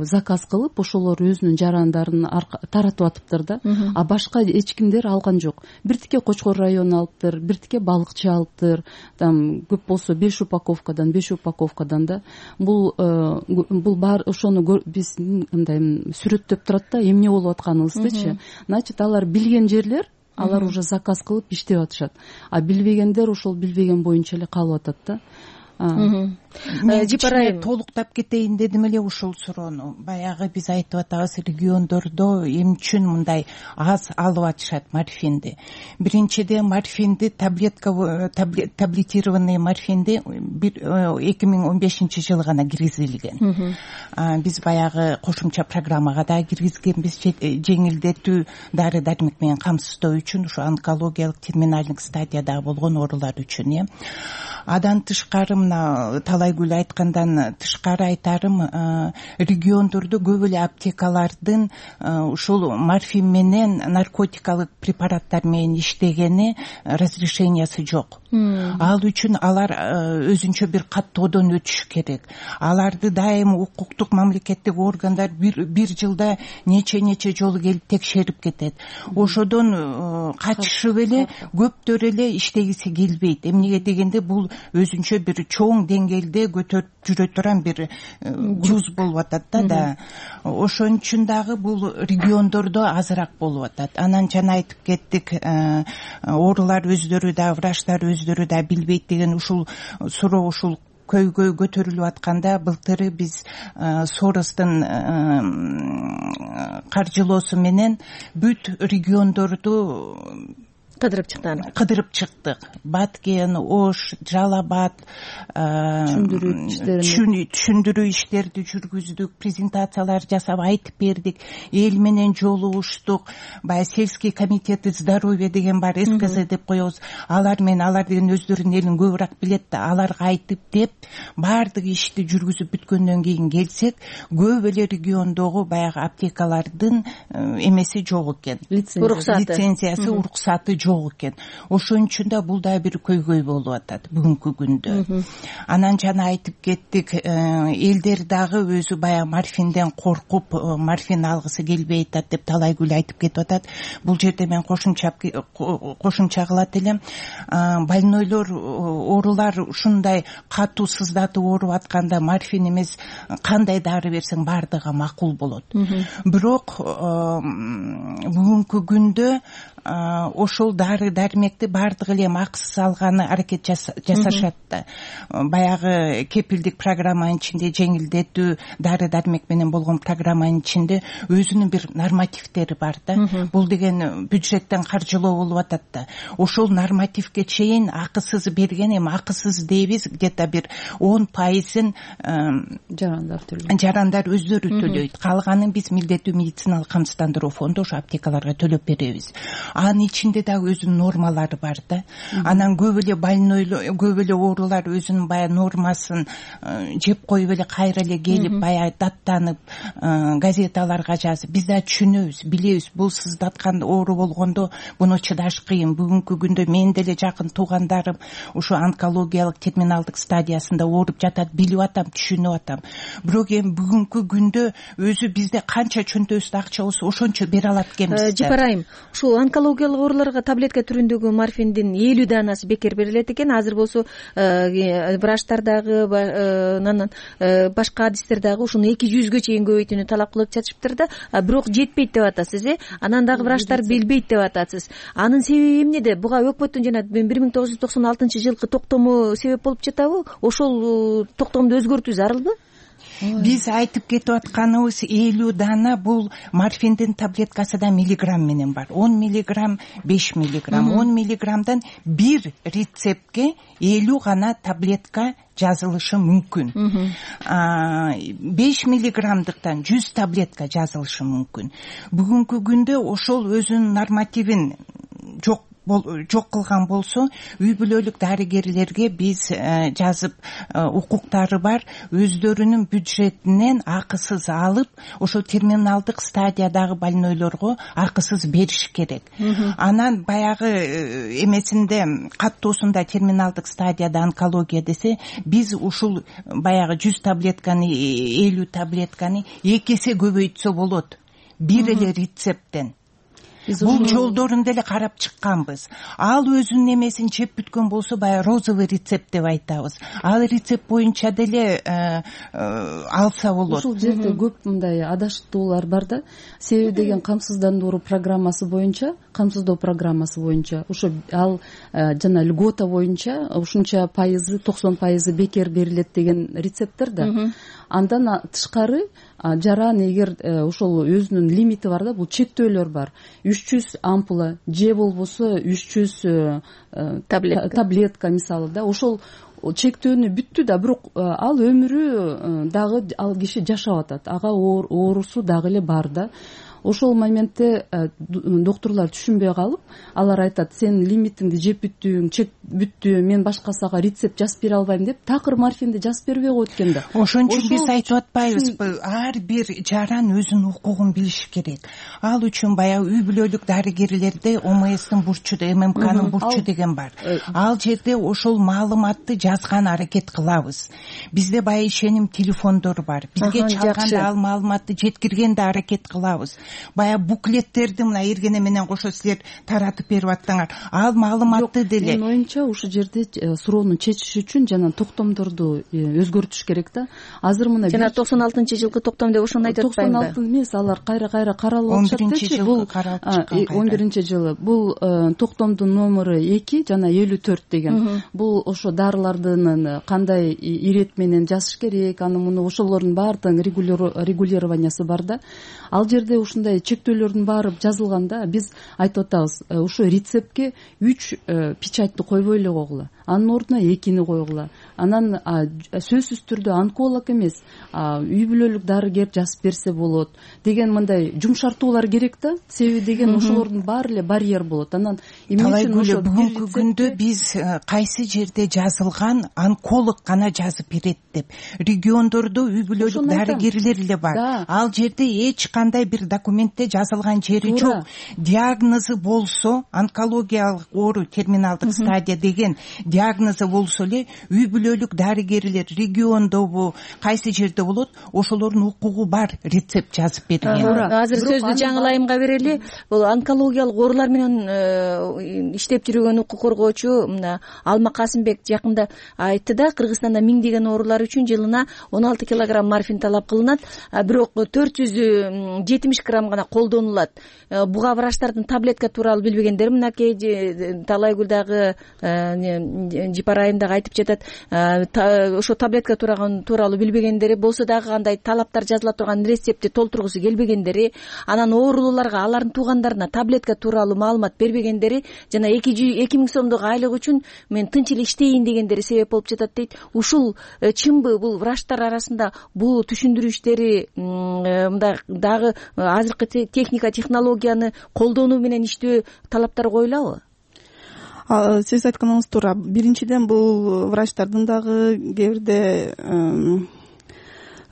Speaker 18: заказ кылып ошолор өзүнүн жарандарын таратып атыптыр да, а башка эч кимдер алган жок. Биртике Кочкор району алыптыр, биртике балыкчы алыптыр, там көп болсо беш упаковкадан беш упаковкадан да. Бул бул бар ошону биз мындай сүрөттөп турат да, эмне болуп атканыбыздычы. Значит, алар билген жерлер, алар уже заказ кылып иштеп атышат. А билбегендер ошол билбеген боюнча эле калып атат да.
Speaker 19: Жипарайым толуктап кетейин дедим эле ушул суроону. Баягы биз айтып атабыз, региондордо эмне үчүн мындай аз алып атышат морфинди. Биринчиден, морфинди таблетка таблетированный морфинди эки миң он бешинчи жылы гана киргизилген. Биз баягы кошумча программага да киргизгенбиз, жеңилдетүү дары дармек менен камсыздоо үчүн, ушу онкологиялык терминалдык стадияда болгон оорулар үчүн, э. Адан тышкары, мына Талайгүл айткандан тышкары айтарым, региондордо көп эле аптекалардын ушул морфин менен наркотикалык препараттар менен иштегени разрешениясы жок. Ал үчүн алар өзүнчө бир каттоодон өтүш керек. Аларды дайым укуктук мамлекеттик органдар бир бир жылда нече нече жолу келип текшерип кетет. Ошодон качышып эле көптөр эле иштегиси келбейт. Эмнеге дегенде бул өзүнчө бир чоң деңгээлде көтөрүп жүрө турган бир груз болуп атат да. Да. Ошон үчүн дагы бул региондордо азыраак болуп атат. Анан жана айтып кеттик, оорулар өздөрү да, врачтар өздөрү да билбейт деген ушул суроо ушул көйгөй көтөрүлүп атканда, былтыры биз Соростун каржылоосу менен бүт региондорду
Speaker 16: кыдырып чыктан
Speaker 19: кыдырып чыктык. Баткен, Ош, Жалал Абад түшүндүрүү иштерди жүргүздүк, презентациялар жасап айтып бердик, эл менен жолугуштук. Баягы сельский комитети здоровья деген бар, эс ка зэ деп коебуз. Алар менен, алар деген өздөрүнүн элин көбүрөөк билет да, аларга айтып деп баардык ишти жүргүзүп бүткөндөн кийин келсек, көп эле региондогу баягы аптекалардын эмеси жок экен, лицензиясы, уруксаты жок экен. Ошон үчүн да бул да бир көйгөй болуп атат бүгүнкү күндө. Анан жана айтып кеттик, элдер дагы өзү баягы морфинден коркуп, морфин алгысы келбей атат деп Талайгүл айтып кетип атат. Бул жерде мен кошумча кошумча кылат элем. Больнойлор, оорулар ушундай катуу сыздатып ооруп атканда морфин эмес кандай дары берсең баардыгы макул болот. Бирок бүгүнкү күндө ошол дары дармекти баардыгы эле акысыз алганы аракет жасашат да. Баягы кепилдик программанын ичинде, жеңилдетүү дары дармек менен болгон программанын ичинде өзүнүн бир нормативдери бар да. Бул деген бюджеттен каржылоо болуп атат да. Ошол нормативге чейин акысыз берген, эми акысыз дейбиз, где-то бир он пайызын
Speaker 18: жарандар төлөйт.
Speaker 19: Жарандар өздөрү төлөйт. Калганын биз милдеттүү медициналык камсыздандыруу фонду ошо аптекаларга төлөп беребиз. Анын ичинде дагы өзүнүн нормалары бар да. Анан көп эле больнойлор, көп эле оорулар өзүнүн баягы нормасын жеп коюп эле кайра эле келип баягы даттанып газеталарга жазып, биз да түшүнөбүз, билебиз, бул сыздаткан оору болгондо буну чыдаш кыйын. Бүгүнкү күндө менин деле жакын туугандарым ушу онкологиялык терминалдык стадиясында ооруп жатат, билип атам, түшүнүп атам. Бирок эми бүгүнкү күндө өзү бизде канча чөнтөбүздө акча болсо ошончо бере алат экенбиз.
Speaker 16: Жипарайым, ушул онкологиялык ооруларга таблетка түрүндөгү морфиндин элүү данасы бекер берилет экен. Азыр болсо врачтар дагы, анан башка адистер дагы ушуну эки жүзгө чейин көбөйтүүнү талап кылып жатышыптыр да. Бирок жетпейт деп атасыз, э? Анан дагы врачтар билбейт деп атасыз. Анын себеби эмнеде? Буга өкмөттүн жана бир миң тогуз жүз токсон алтынчы жылкы токтому себеп болуп жатабы? Ошол токтомду өзгөртүү зарылбы?
Speaker 19: Биз айтып кетип атканыбыз элүү дана бул морфиндин таблеткасы да миллиграмм менен бар. он миллиграмм, беш миллиграмм. он миллиграммдан бир рецептке элүү гана таблетка жазылышы мүмкүн. беш миллиграммдыктан жүз таблетка жазылышы мүмкүн. Бүгүнкү күндө ошол өзүнүн нормативин жок жок кылган болсо, үй бүлөлүк дарыгерлерге биз жазып, укуктары бар, өздөрүнүн бюджетинен акысыз алып, ошо терминалдык стадиядагы больнойлорго акысыз бериш керек. Анан баягы эмесинде, каттоосунда терминалдык стадияда онкология десе, биз ушул баягы жүз таблетканы, элүү таблетканы эки эсе көбөйтсө болот, бир эле рецепттен. Бул жолдорун деле карап чыкканбыз. Ал өзүнүн эмесин чеп бүткөн болсо, баягы розовый рецепт деп айтабыз. Ал рецепт боюнча деле алса болот.
Speaker 18: Ушул жерде көп мындай адаштуулар бар да. Себеби деген камсыздандыруу программасы боюнча, камсыздоо программасы боюнча, ошо ал жана льгота боюнча ушунча пайызы, токсон пайызы бекер берилет деген рецепттер да. Андан тышкары жаран эгер ошол өзүнүн лимити бар да, бул чектөөлөр бар. үч жүз ампула же болбосо үч жүз таблетка мисалы да, ошол чектөөнү бүттү да, бирок ал өмүрү дагы ал киши жашап атат. Ага оорусу дагы эле бар да. Ошол моментте доктурлар түшүнбөй калып, алар айтат, сен лимитиңди жеп бүттүң, чек бүттү, мен башкасыга рецепт жазып бере албайм деп, такыр морфинди жазып бербей коет экен да.
Speaker 19: Ошон үчүн биз айтып атпайбызбы, ар бир жаран өзүнүн укугун билиши керек. Ал үчүн баягы үй бүлөлүк дарыгерлерде ОМСтин бурчу, ММКнын бурчу деген бар. Ал жерде ошол маалыматты жазган аракет кылабыз. Бизде баягы ишеним телефондор бар. Бизге чалганда ал маалыматты жеткиргенде аракет кылабыз. Баягы буклеттерди мына Эргене менен кошо силер таратып берип аттыңар. Ал маалыматты деле.
Speaker 18: Менин оюмча ушул жерде суроону чечиш үчүн жана токтомдорду өзгөртүш керек да. Азыр мына
Speaker 16: жана токсон алтынчы жылкы токтом деп ошону айтып атпаймынбы?
Speaker 18: токсон алты эмес, алар кайра-кайра каралып атышат. Бул он биринчи жылы. Бул токтомдун номеру эки жана элүү төрт деген. Бул ошо дарылардын кандай ирет менен жазыш керек, аны муну ошолордун баардыгын регулированиясы бар да. Ал жерде ушундай чектөөлөрдүн баары жазылганда биз айтып атабыз, ошо рецептке үч печатьты койбой эле койгула. Анын ордуна экини койгула. Анан сөзсүз түрдө онколог эмес, үй бүлөлүк дарыгер жазып берсе болот деген мындай жумшартуулар керек да. Себеби деген ошолордун баары эле барьер болот. Анан
Speaker 19: эмне үчүн ошо бүгүнкү күндө биз кайсы жерде жазылган онколог гана жазып берет деп. Региондордо үй бүлөлүк дарыгерлер эле бар. Ал жерде эч кандай бир документте жазылган жери жок. Диагнозу болсо, онкологиялык оору терминалдык стадия деген диагнозу болсо эле үй бүлөлүк дарыгерлер региондобу, кайсы жерде болот, ошолордун укугу бар рецепт жазып берген.
Speaker 16: Азыр сөздү жаңылайымга берели. Бул онкологиялык оорулар менен иштеп жүргөн укук коргоочу мына Алма Касымбек жакында айтты да, Кыргызстанда миңдеген оорулар үчүн жылына он алты килограмм морфин талап кылынат, бирок төрт жүз жетимиш грамм гана колдонулат. Буга врачтардын таблетка тууралуу билбегендер, мынакей Талайгүл дагы Жипарайым дагы айтып жатат, ошо таблетка тууралуу билбегендери болсо дагы кандай талаптар жазыла турган рецептти толтургусу келбегендери, анан оорулууларга алардын туугандарына таблетка тууралуу маалымат бербегендери жана эки миң сомдук айлык үчүн мен тынч эле иштейин дегендери себеп болуп жатат дейт. Ушул чынбы? Бул врачтар арасында бул түшүндүрүү иштери мындай дагы азыркы техника, технологияны колдонуу менен иштөө талаптар коюлабы?
Speaker 17: Сиз айтканыңыз туура. Биринчиден бул врачтардын дагы кээ бирде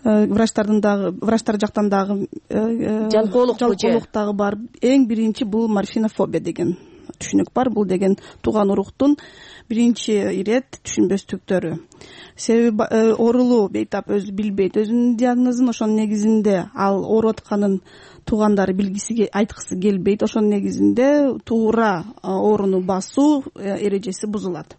Speaker 17: врачтардын дагы врачтар жактан дагы
Speaker 16: жалкоолук
Speaker 17: жалкоолук дагы бар. Эң биринчи бул морфинофобия деген түшүнүк бар. Бул деген тууган уруктун биринчи ирет түшүнбөстүктөрү. Себеби оорулуу бейтап өзү билбейт өзүнүн диагнозун, ошонун негизинде ал ооруп атканын туугандары билгиси айткысы келбейт. Ошонун негизинде туура ооруну басуу эрежеси бузулат.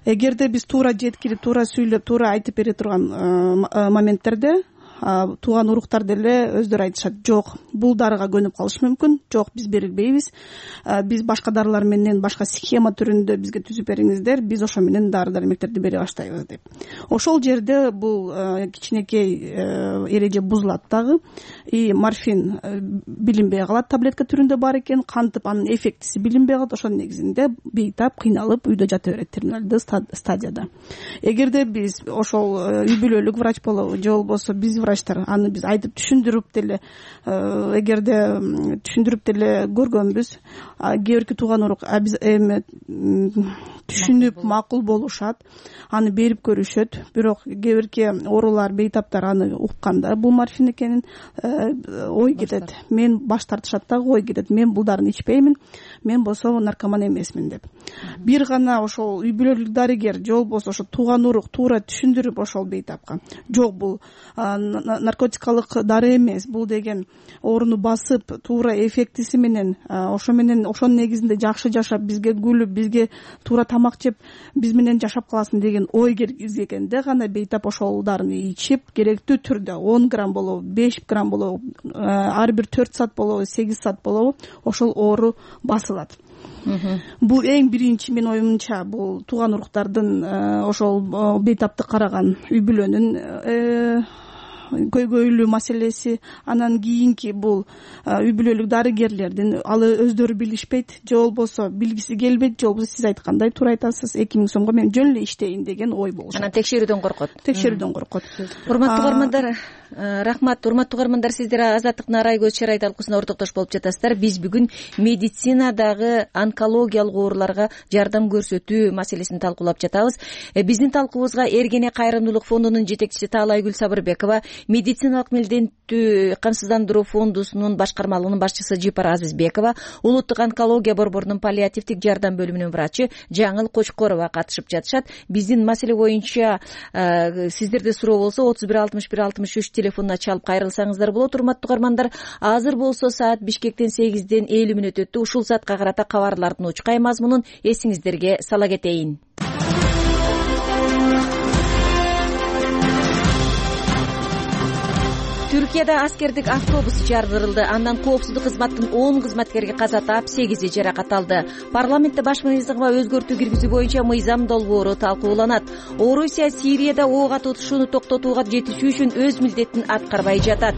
Speaker 17: Эгерде биз туура жеткирип, туура сүйлөп, туура айтып бере турган моменттерде тууган уруктар деле өздөрү айтышат, жок, бул дарыга көнүп калышы мүмкүн, жок, биз берилбейбиз, биз башка дарылар менен, башка схема түрүндө бизге түзүп бериңиздер, биз ошо менен дары дармектерди бере баштайбыз деп. Ошол жерде бул кичинекей эреже бузулат дагы, и морфин билинбей калат, таблетка түрүндө бар экен, кантип анын эффектиси билинбей калат. Ошонун негизинде бейтап кыйналып үйдө жата берет терминалдык стадияда. Эгерде биз ошол үй бүлөлүк врач болобу же болбосо биз врачтар аны биз айтып түшүндүрүп деле эгерде түшүндүрүп деле көргөнбүз. Кээ бирки тууган урук биз эми түшүнүп макул болушат, аны берип көрүшөт. Бирок кээ бирки оорулар, бейтаптар аны укканда бул морфин экенин ой кетет. Мен баш тартышат дагы ой кетет. Мен бул дарыны ичпеймин, мен болсо наркоман эмесмин деп. Бир гана ошол үй бүлөлүк дарыгер же болбосо ошо тууган урук туура түшүндүрүп ошол бейтапка жок бул наркотикалык дары эмес, бул деген ооруну басып туура эффектиси менен ошо менен ошонун негизинде жакшы жашап, бизге күлүп, бизге туура тамак жеп, биз менен жашап каласың деген ой киргизгенде гана бейтап ошол дарыны ичип, керектүү түрдө он грамм болобу, беш грамм болобу, ар бир төрт саат болобу, сегиз саат болобу, ошол оору басылат. Бул эң биринчи менин оюмча бул тууган уруктардын ошол бейтапты караган үй бүлөнүн көйгөйлүү маселеси. Анан кийинки бул үй бүлөлүк дарыгерлердин алы өздөрү билишпейт, же болбосо билгиси келбейт, же болбосо сиз айткандай туура айтасыз, эки миң сомго мен жөн эле иштейин деген ой болушат.
Speaker 16: Анан текшерүүдөн коркот.
Speaker 17: Текшерүүдөн коркот.
Speaker 16: Урматтуу угармандар, рахмат. Урматтуу угармандар, сиздер Азаттыктын Арай көз чарай талкуусуна ортоктош болуп жатасыздар. Биз бүгүн медицинадагы онкологиялык ооруларга жардам көрсөтүү маселесин талкуулап жатабыз. Биздин талкуубузга Эргене кайрымдуулук фондунун жетекчиси Таалайгүл Сабырбекова, медициналык милдеттүү камсыздандыруу фондусунун башкармалыгынын башчысы Жипара Азизбекова, улуттук онкология борборунун паллиативдик жардам бөлүмүнүн врачы Жаңыл Кочкорова катышып жатышат. Биздин маселе боюнча сиздерде суроо болсо отуз бир алтымыш бир алтымыш үч телефонуна чалып кайрылсаңыздар болот. Урматтуу угармандар, азыр болсо саат Бишкектен сегизден элүү мүнөт өттү. Ушул саатка карата кабарлардын учкай мазмунун эсиңиздерге сала кетейин. Түркияда аскердик автобус жардырылды. Андан коопсуздук кызматтын он кызматкери каза таап, сегизи жаракат алды. Парламентте баш мыйзамга өзгөртүү киргизүү боюнча мыйзам долбоору талкууланат. Орусия Сирияда ок атышууну токтотууга жетишүү үчүн өз милдетин аткарбай жатат.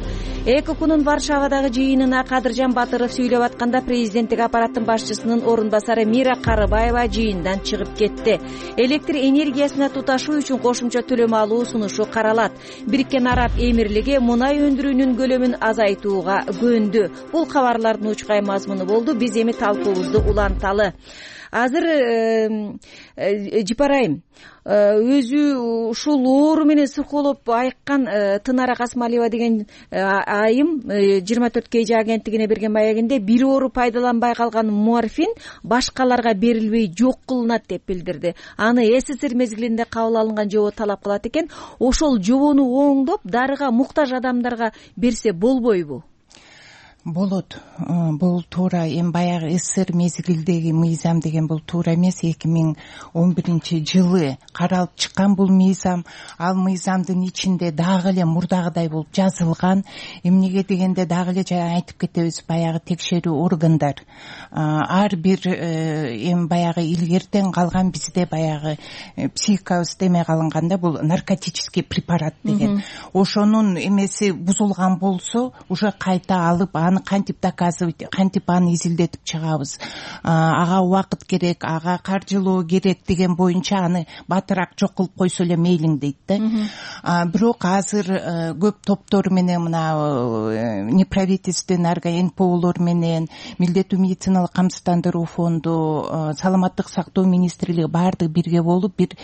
Speaker 16: ЭКОКунун Варшавадагы жыйынына Кадыржан Батыров сүйлөп атканда президенттик аппараттын башчысынын орун басары Мира Карыбаева жыйындан чыгып кетти. Электр энергиясына туташуу үчүн кошумча төлөм алуу сунушу каралат. Бириккен Араб Эмирлиги мунай өндүрүүнүн көлөмүн азайтууга көндү. Бул кабарлардын учкай мазмуну болду. Биз эми талкуубузду уланталы. Азыр Жипарайым, өзү ушул оору менен сыркоолоп айыккан Тынара Касмалиева деген айым жыйырма төрт кей жи агенттигине берген маегинде бир оору пайдаланбай калган морфин башкаларга берилбей жок кылынат деп билдирди. Аны СССР мезгилинде кабыл алынган жобо талап кылат экен. Ошол жобону оңдоп, дарыга муктаж адамдарга берсе болбойбу?
Speaker 19: Болот. Бул туура. Эми баягы СССР мезгилдеги мыйзам деген бул туура эмес. эки миң он биринчи жылы каралып чыккан бул мыйзам. Ал мыйзамдын ичинде дагы эле мурдагыдай болуп жазылган. Эмнеге дегенде дагы эле жана айтып кетебиз, баягы текшерүү органдар ар бир эми баягы илгертен калган бизде баягы психикабыз деме калынганда бул наркотический препарат деген. Ошонун эмеси бузулган болсо, уже кайта алып аны кантип доказывать, кантип аны изилдетип чыгабыз, ага убакыт керек, ага каржылоо керек деген боюнча аны батыраак жок кылып койсо эле мейлиң дейт да. Бирок азыр көп топтор менен, мына неправительственный эн пэ олор менен, милдеттүү медициналык камсыздандыруу фонду, саламаттык сактоо министрлиги баардыгы бирге болуп, бир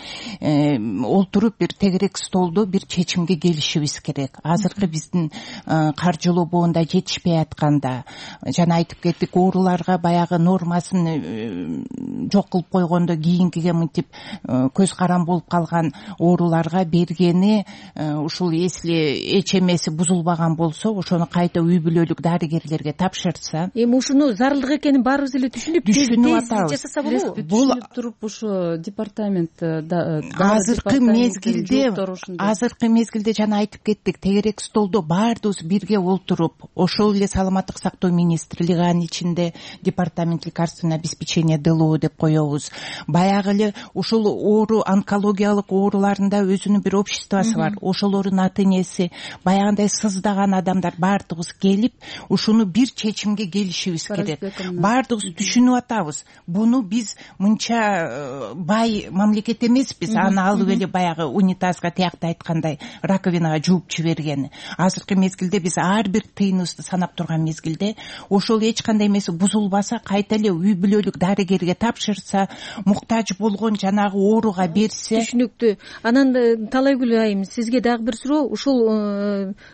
Speaker 19: олтуруп, бир тегерек столдо бир чечимге келишибиз керек. Азыркы биздин каржылоо боунда жетишпей атканда, жана айтып кеттик, ооруларга баягы нормасын жок кылып койгондо кийинкиге мынтип көз карам болуп калган ооруларга бергени, ушул если эч эмеси бузулбаган болсо, ошону кайта үй бүлөлүк дарыгерлерге тапшырса.
Speaker 16: Эми ушуну зарылдык экенин баарыбыз эле түшүнүп, тез жасаса болобу?
Speaker 18: Бул туруп ушу департамент
Speaker 19: азыркы мезгилде, азыркы мезгилде жана айтып кеттик, тегерек столдо баардыгыбыз бирге олтуруп, ошол эле саламаттык сактоо министрлиги, анын ичинде департамент лекарственного обеспечения ДЛО деп коебуз. Баягы эле ушул оору, онкологиялык ооруларында өзүнүн бир обществосу бар. Ошолордун ата энеси, баягындай сыздаган адамдар баардыгыбыз келип, ушуну бир чечимге келишибиз керек. Баардыгыбыз түшүнүп атабыз. Буну биз мынча бай мамлекет эмеспиз. Аны алып эле баягы унитазга тиякта айткандай раковинага жууп жибергени. Азыркы мезгилде биз ар бир тыйыныбызды санап турган мезгилде ошол эч кандай эмеси бузулбаса, кайта эле үй бүлөлүк дарыгерге тапшырса, муктаж болгон жанагы ооруга берсе.
Speaker 16: Түшүнүктүү. Анан Талайгүл айым, сизге дагы бир суроо. Ушул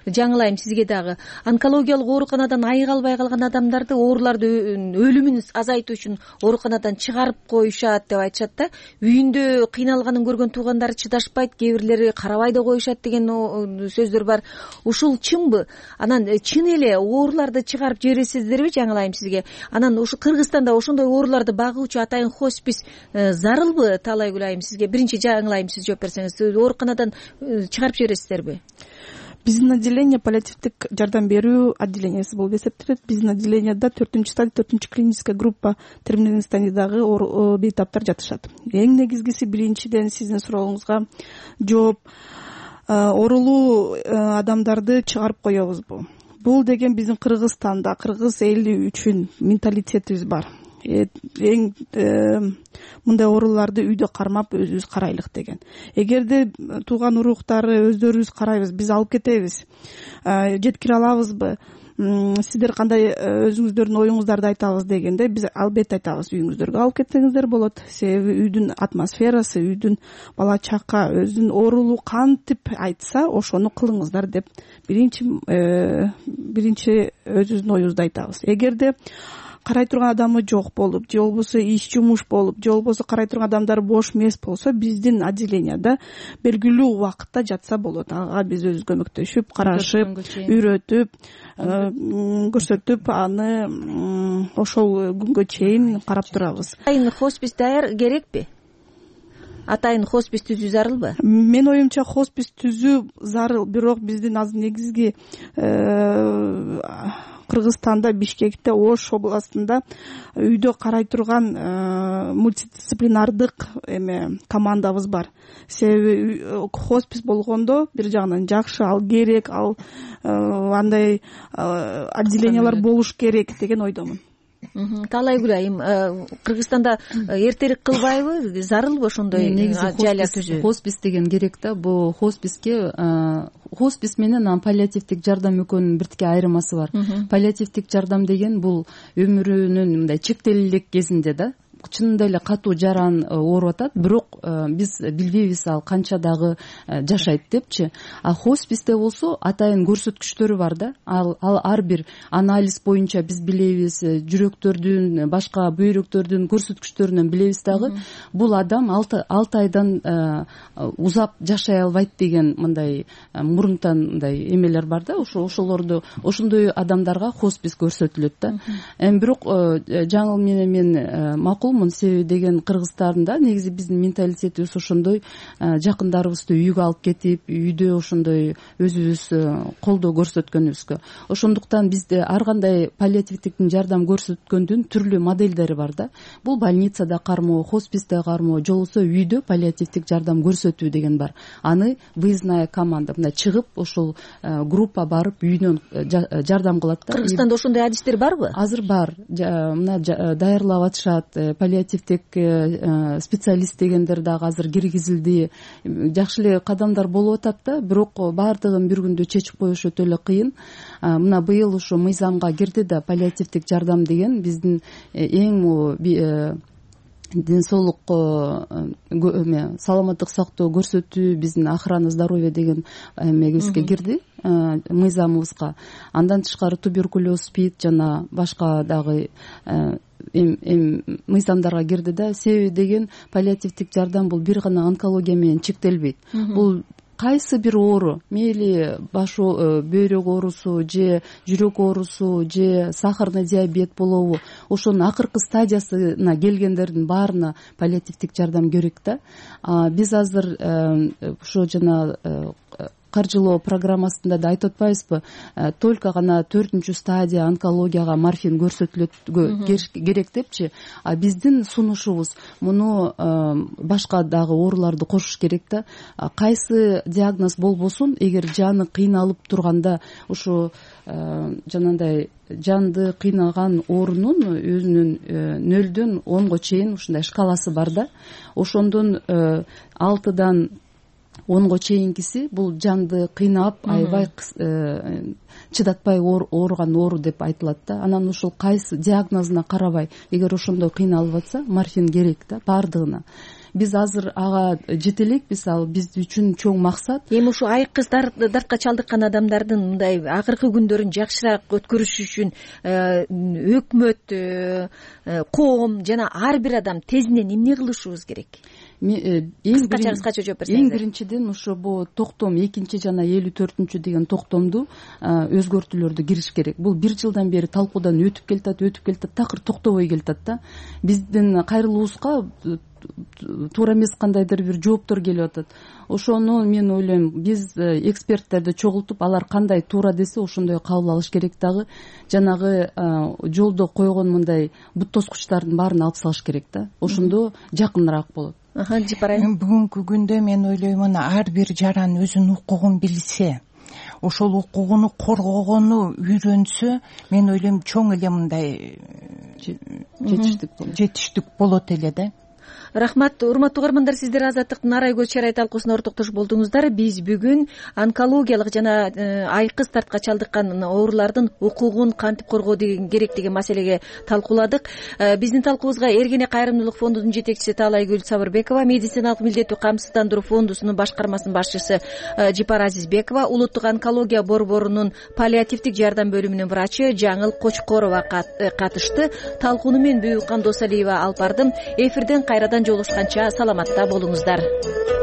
Speaker 16: жаңылайм сизге дагы. Онкологиялык ооруканадан айыга албай калган адамдарды, ооруларды өлүмүн азайтуу үчүн ооруканадан чыгарып коюшат деп айтышат да. Үйүндө кыйналганын көргөн туугандары чыдашпайт, кээ бирлери карабай да коюшат деген сөздөр бар. Ушул чынбы? Анан чын эле ооруларды чыгарып жибересиздерби, жаңылайм сизге? Анан ушу Кыргызстанда ошондой ооруларды багуучу атайын хоспис зарылбы, Талайгүл айым сизге? Биринчи жаңылайм сиз жооп берсеңиз, ооруканадан чыгарып жибересиздерби?
Speaker 17: Биздин отделение паллиативдик жардам берүү отделениясы болуп эсептелет. Биздин отделенияда төртүнчү стадия, төртүнчү клиническая группа терминалдык стадиядагы бейтаптар жатышат. Эң негизгиси, биринчиден сиздин сурооңузга жооп, оорулуу адамдарды чыгарып коебузбу? Бул деген биздин Кыргызстанда, кыргыз эли үчүн менталитетибиз бар. Эң мындай ооруларды үйдө кармап өзүбүз карайлык деген. Эгерде тууган уруктары өздөрүбүз карайбыз, биз алып кетебиз, жеткире алабызбы? Сиздер кандай өзүңүздөрдүн оюңуздарды айтабыз дегенде, биз албетте айтабыз, үйүңүздөргө алып кетсеңиздер болот. Себеби үйдүн атмосферасы, үйдүн бала чака өзүнүн оорулуу кантип айтса, ошону кылыңыздар деп биринчи биринчи өзүбүздүн оюбузду айтабыз. Эгерде карай турган адамы жок болуп, же болбосо иш жумуш болуп, же болбосо карай турган адамдар бош эмес болсо, биздин отделенияда белгилүү убакытта жатса болот. Ага биз өзүбүз көмөктөшүп, карашып, үйрөтүп, көрсөтүп, аны ошол күнгө чейин карап турабыз.
Speaker 16: Атайын хоспис даяр керекпи? Атайын хоспис түзүү зарылбы?
Speaker 17: Мен оюмча хоспис түзүү зарыл, бирок биздин азыр негизги Кыргызстанда, Бишкекте, Ош областында үйдө карай турган мультидисциплинардык эме командабыз бар. Себеби хоспис болгондо бир жагынан жакшы, ал керек, ал андай отделениялар болуш керек деген ойдомун.
Speaker 16: Талайгүл айым, Кыргызстанда эртерээк кылбайбы, зарылбы ошондой жайлар түзүү?
Speaker 18: Хоспис деген керек да. Бул хосписке хоспис менен паллиативдик жардам экөөнүн биртике айырмасы бар. Паллиативдик жардам деген бул өмүрүнүн мындай чектелип кезинде да, чынында эле катуу жаран ооруп атат, бирок биз билбейбиз ал канча дагы жашайт депчи. А хосписте болсо атайын көрсөткүчтөрү бар да. Ал ар бир анализ боюнча биз билебиз, жүрөктөрдүн, башка бүйрөктөрдүн көрсөткүчтөрүнөн билебиз дагы, бул адам алты айдан узап жашай албайт деген мындай мурунтан мындай эмелер бар да. Ошо ошолорду ошондой адамдарга хоспис көрсөтүлөт да. Эми бирок жаңыл менен мен макул себеби деген Кыргызстанда негизи биздин менталитетибиз ошондой, жакындарыбызды үйгө алып кетип, үйдө ошондой өзүбүз колдоо көрсөткөнүбүзгө. Ошондуктан бизде ар кандай паллиативдик жардам көрсөткөндүн түрлүү модельдери бар да. Бул больницада кармоо, хосписте кармоо, же болбосо үйдө паллиативдик жардам көрсөтүү деген бар. Аны выездная команда мындай чыгып, ошол группа барып үйүнөн жардам кылат да.
Speaker 16: Кыргызстанда ошондой адистер барбы?
Speaker 18: Азыр бар. Мына даярлап атышат. Паллиативдик специалист дегендер дагы азыр киргизилди. Жакшы эле кадамдар болуп атат да, бирок баардыгын бир күндө чечип коюш өтө эле кыйын. Мына быйыл ушу мыйзамга кирди да, паллиативдик жардам деген биздин эң ден соолук эме саламаттык сактоо көрсөтүү, биздин охрана здоровья деген эмебизге кирди, мыйзамыбызга. Андан тышкары туберкулез, спид жана башка дагы эм мыйзамдарга кирди да. Себеби деген паллиативдик жардам бул бир гана онкология менен чектелбейт. Бул кайсы бир оору, мейли баш бөйрөк оорусу, же жүрөк оорусу, же сахарный диабет болобу, ошонун акыркы стадиясына келгендердин баарына паллиативдик жардам керек да. Биз азыр ошо жана каржылоо программасында да айтып атпайбызбы, только гана төртүнчү стадия онкологияга морфин көрсөтүлөт керек депчи. А биздин сунушубуз муну башка дагы ооруларды кошуш керек да. Кайсы диагноз болбосун, эгер жаны кыйналып турганда ушу жанагындай жанды кыйнаган оорунун өзүнүн нөлдөн онго чейин ушундай шкаласы бар да. Ошондон алтыдан онго чейинкиси бул жанды кыйнап, аябай чыдатпай ооруган оору деп айтылат да. Анан ушул кайсы диагнозуна карабай, эгер ошондой кыйналып атса, морфин керек да баардыгына. Биз азыр ага жете элекпиз, ал биз үчүн чоң максат.
Speaker 16: Эми ушу айкыз дартка чалдыккан адамдардын мындай акыркы күндөрүн жакшыраак өткөрүш үчүн өкмөт, коом жана ар бир адам тезинен эмне кылышыбыз керек? Кыскача кыскача жооп берсеңиз.
Speaker 18: Эң биринчиден ошо бул токтом экинчи жана элүү төртүнчү деген токтомду өзгөртүүлөрдү кириш керек. Бул бир жылдан бери талкуудан өтүп келатат, өтүп келатат, такыр токтобой келатат да. Биздин кайрылуубузга туура эмес кандайдыр бир жооптор келип атат. Ошону мен ойлойм, биз эксперттерди чогултуп, алар кандай туура десе ошондой кабыл алыш керек дагы. Жанагы жолдо койгон мындай бут тоскучтардын баарын алып салыш керек да. Ошондо жакыныраак болот.
Speaker 19: Бүгүнкү күндө мен ойлоймун, ар бир жаран өзүнүн укугун билсе, ошол укугуну коргогону үйрөнсө, мен ойлойм чоң эле мындай жетиштик болот эле да.
Speaker 16: Рахмат, урматтуу угармандар, сиздер Азаттыктын Арай көз чарай талкуусуна ортоктошуп болдуңуздар. Биз бүгүн онкологиялык жана айкыз дартка чалдыккан оорулардын укугун кантип коргоо керек деген маселеге талкууладык. Биздин талкуубузга Эргене кайрымдуулук фондунун жетекчиси Таалайгүл Сабырбекова, медициналык милдеттүү камсыздандыруу фондусунун башкармасынын башчысы Жипар Азизбекова, улуттук онкология борборунун паллиативдик жардам бөлүмүнүн врачы Жаңыл Кочкорова катышты. Талкууну мен Бүйүккан Досалиева алып бардым. Эфирден кайрадан жолугушканча саламатта болуңуздар.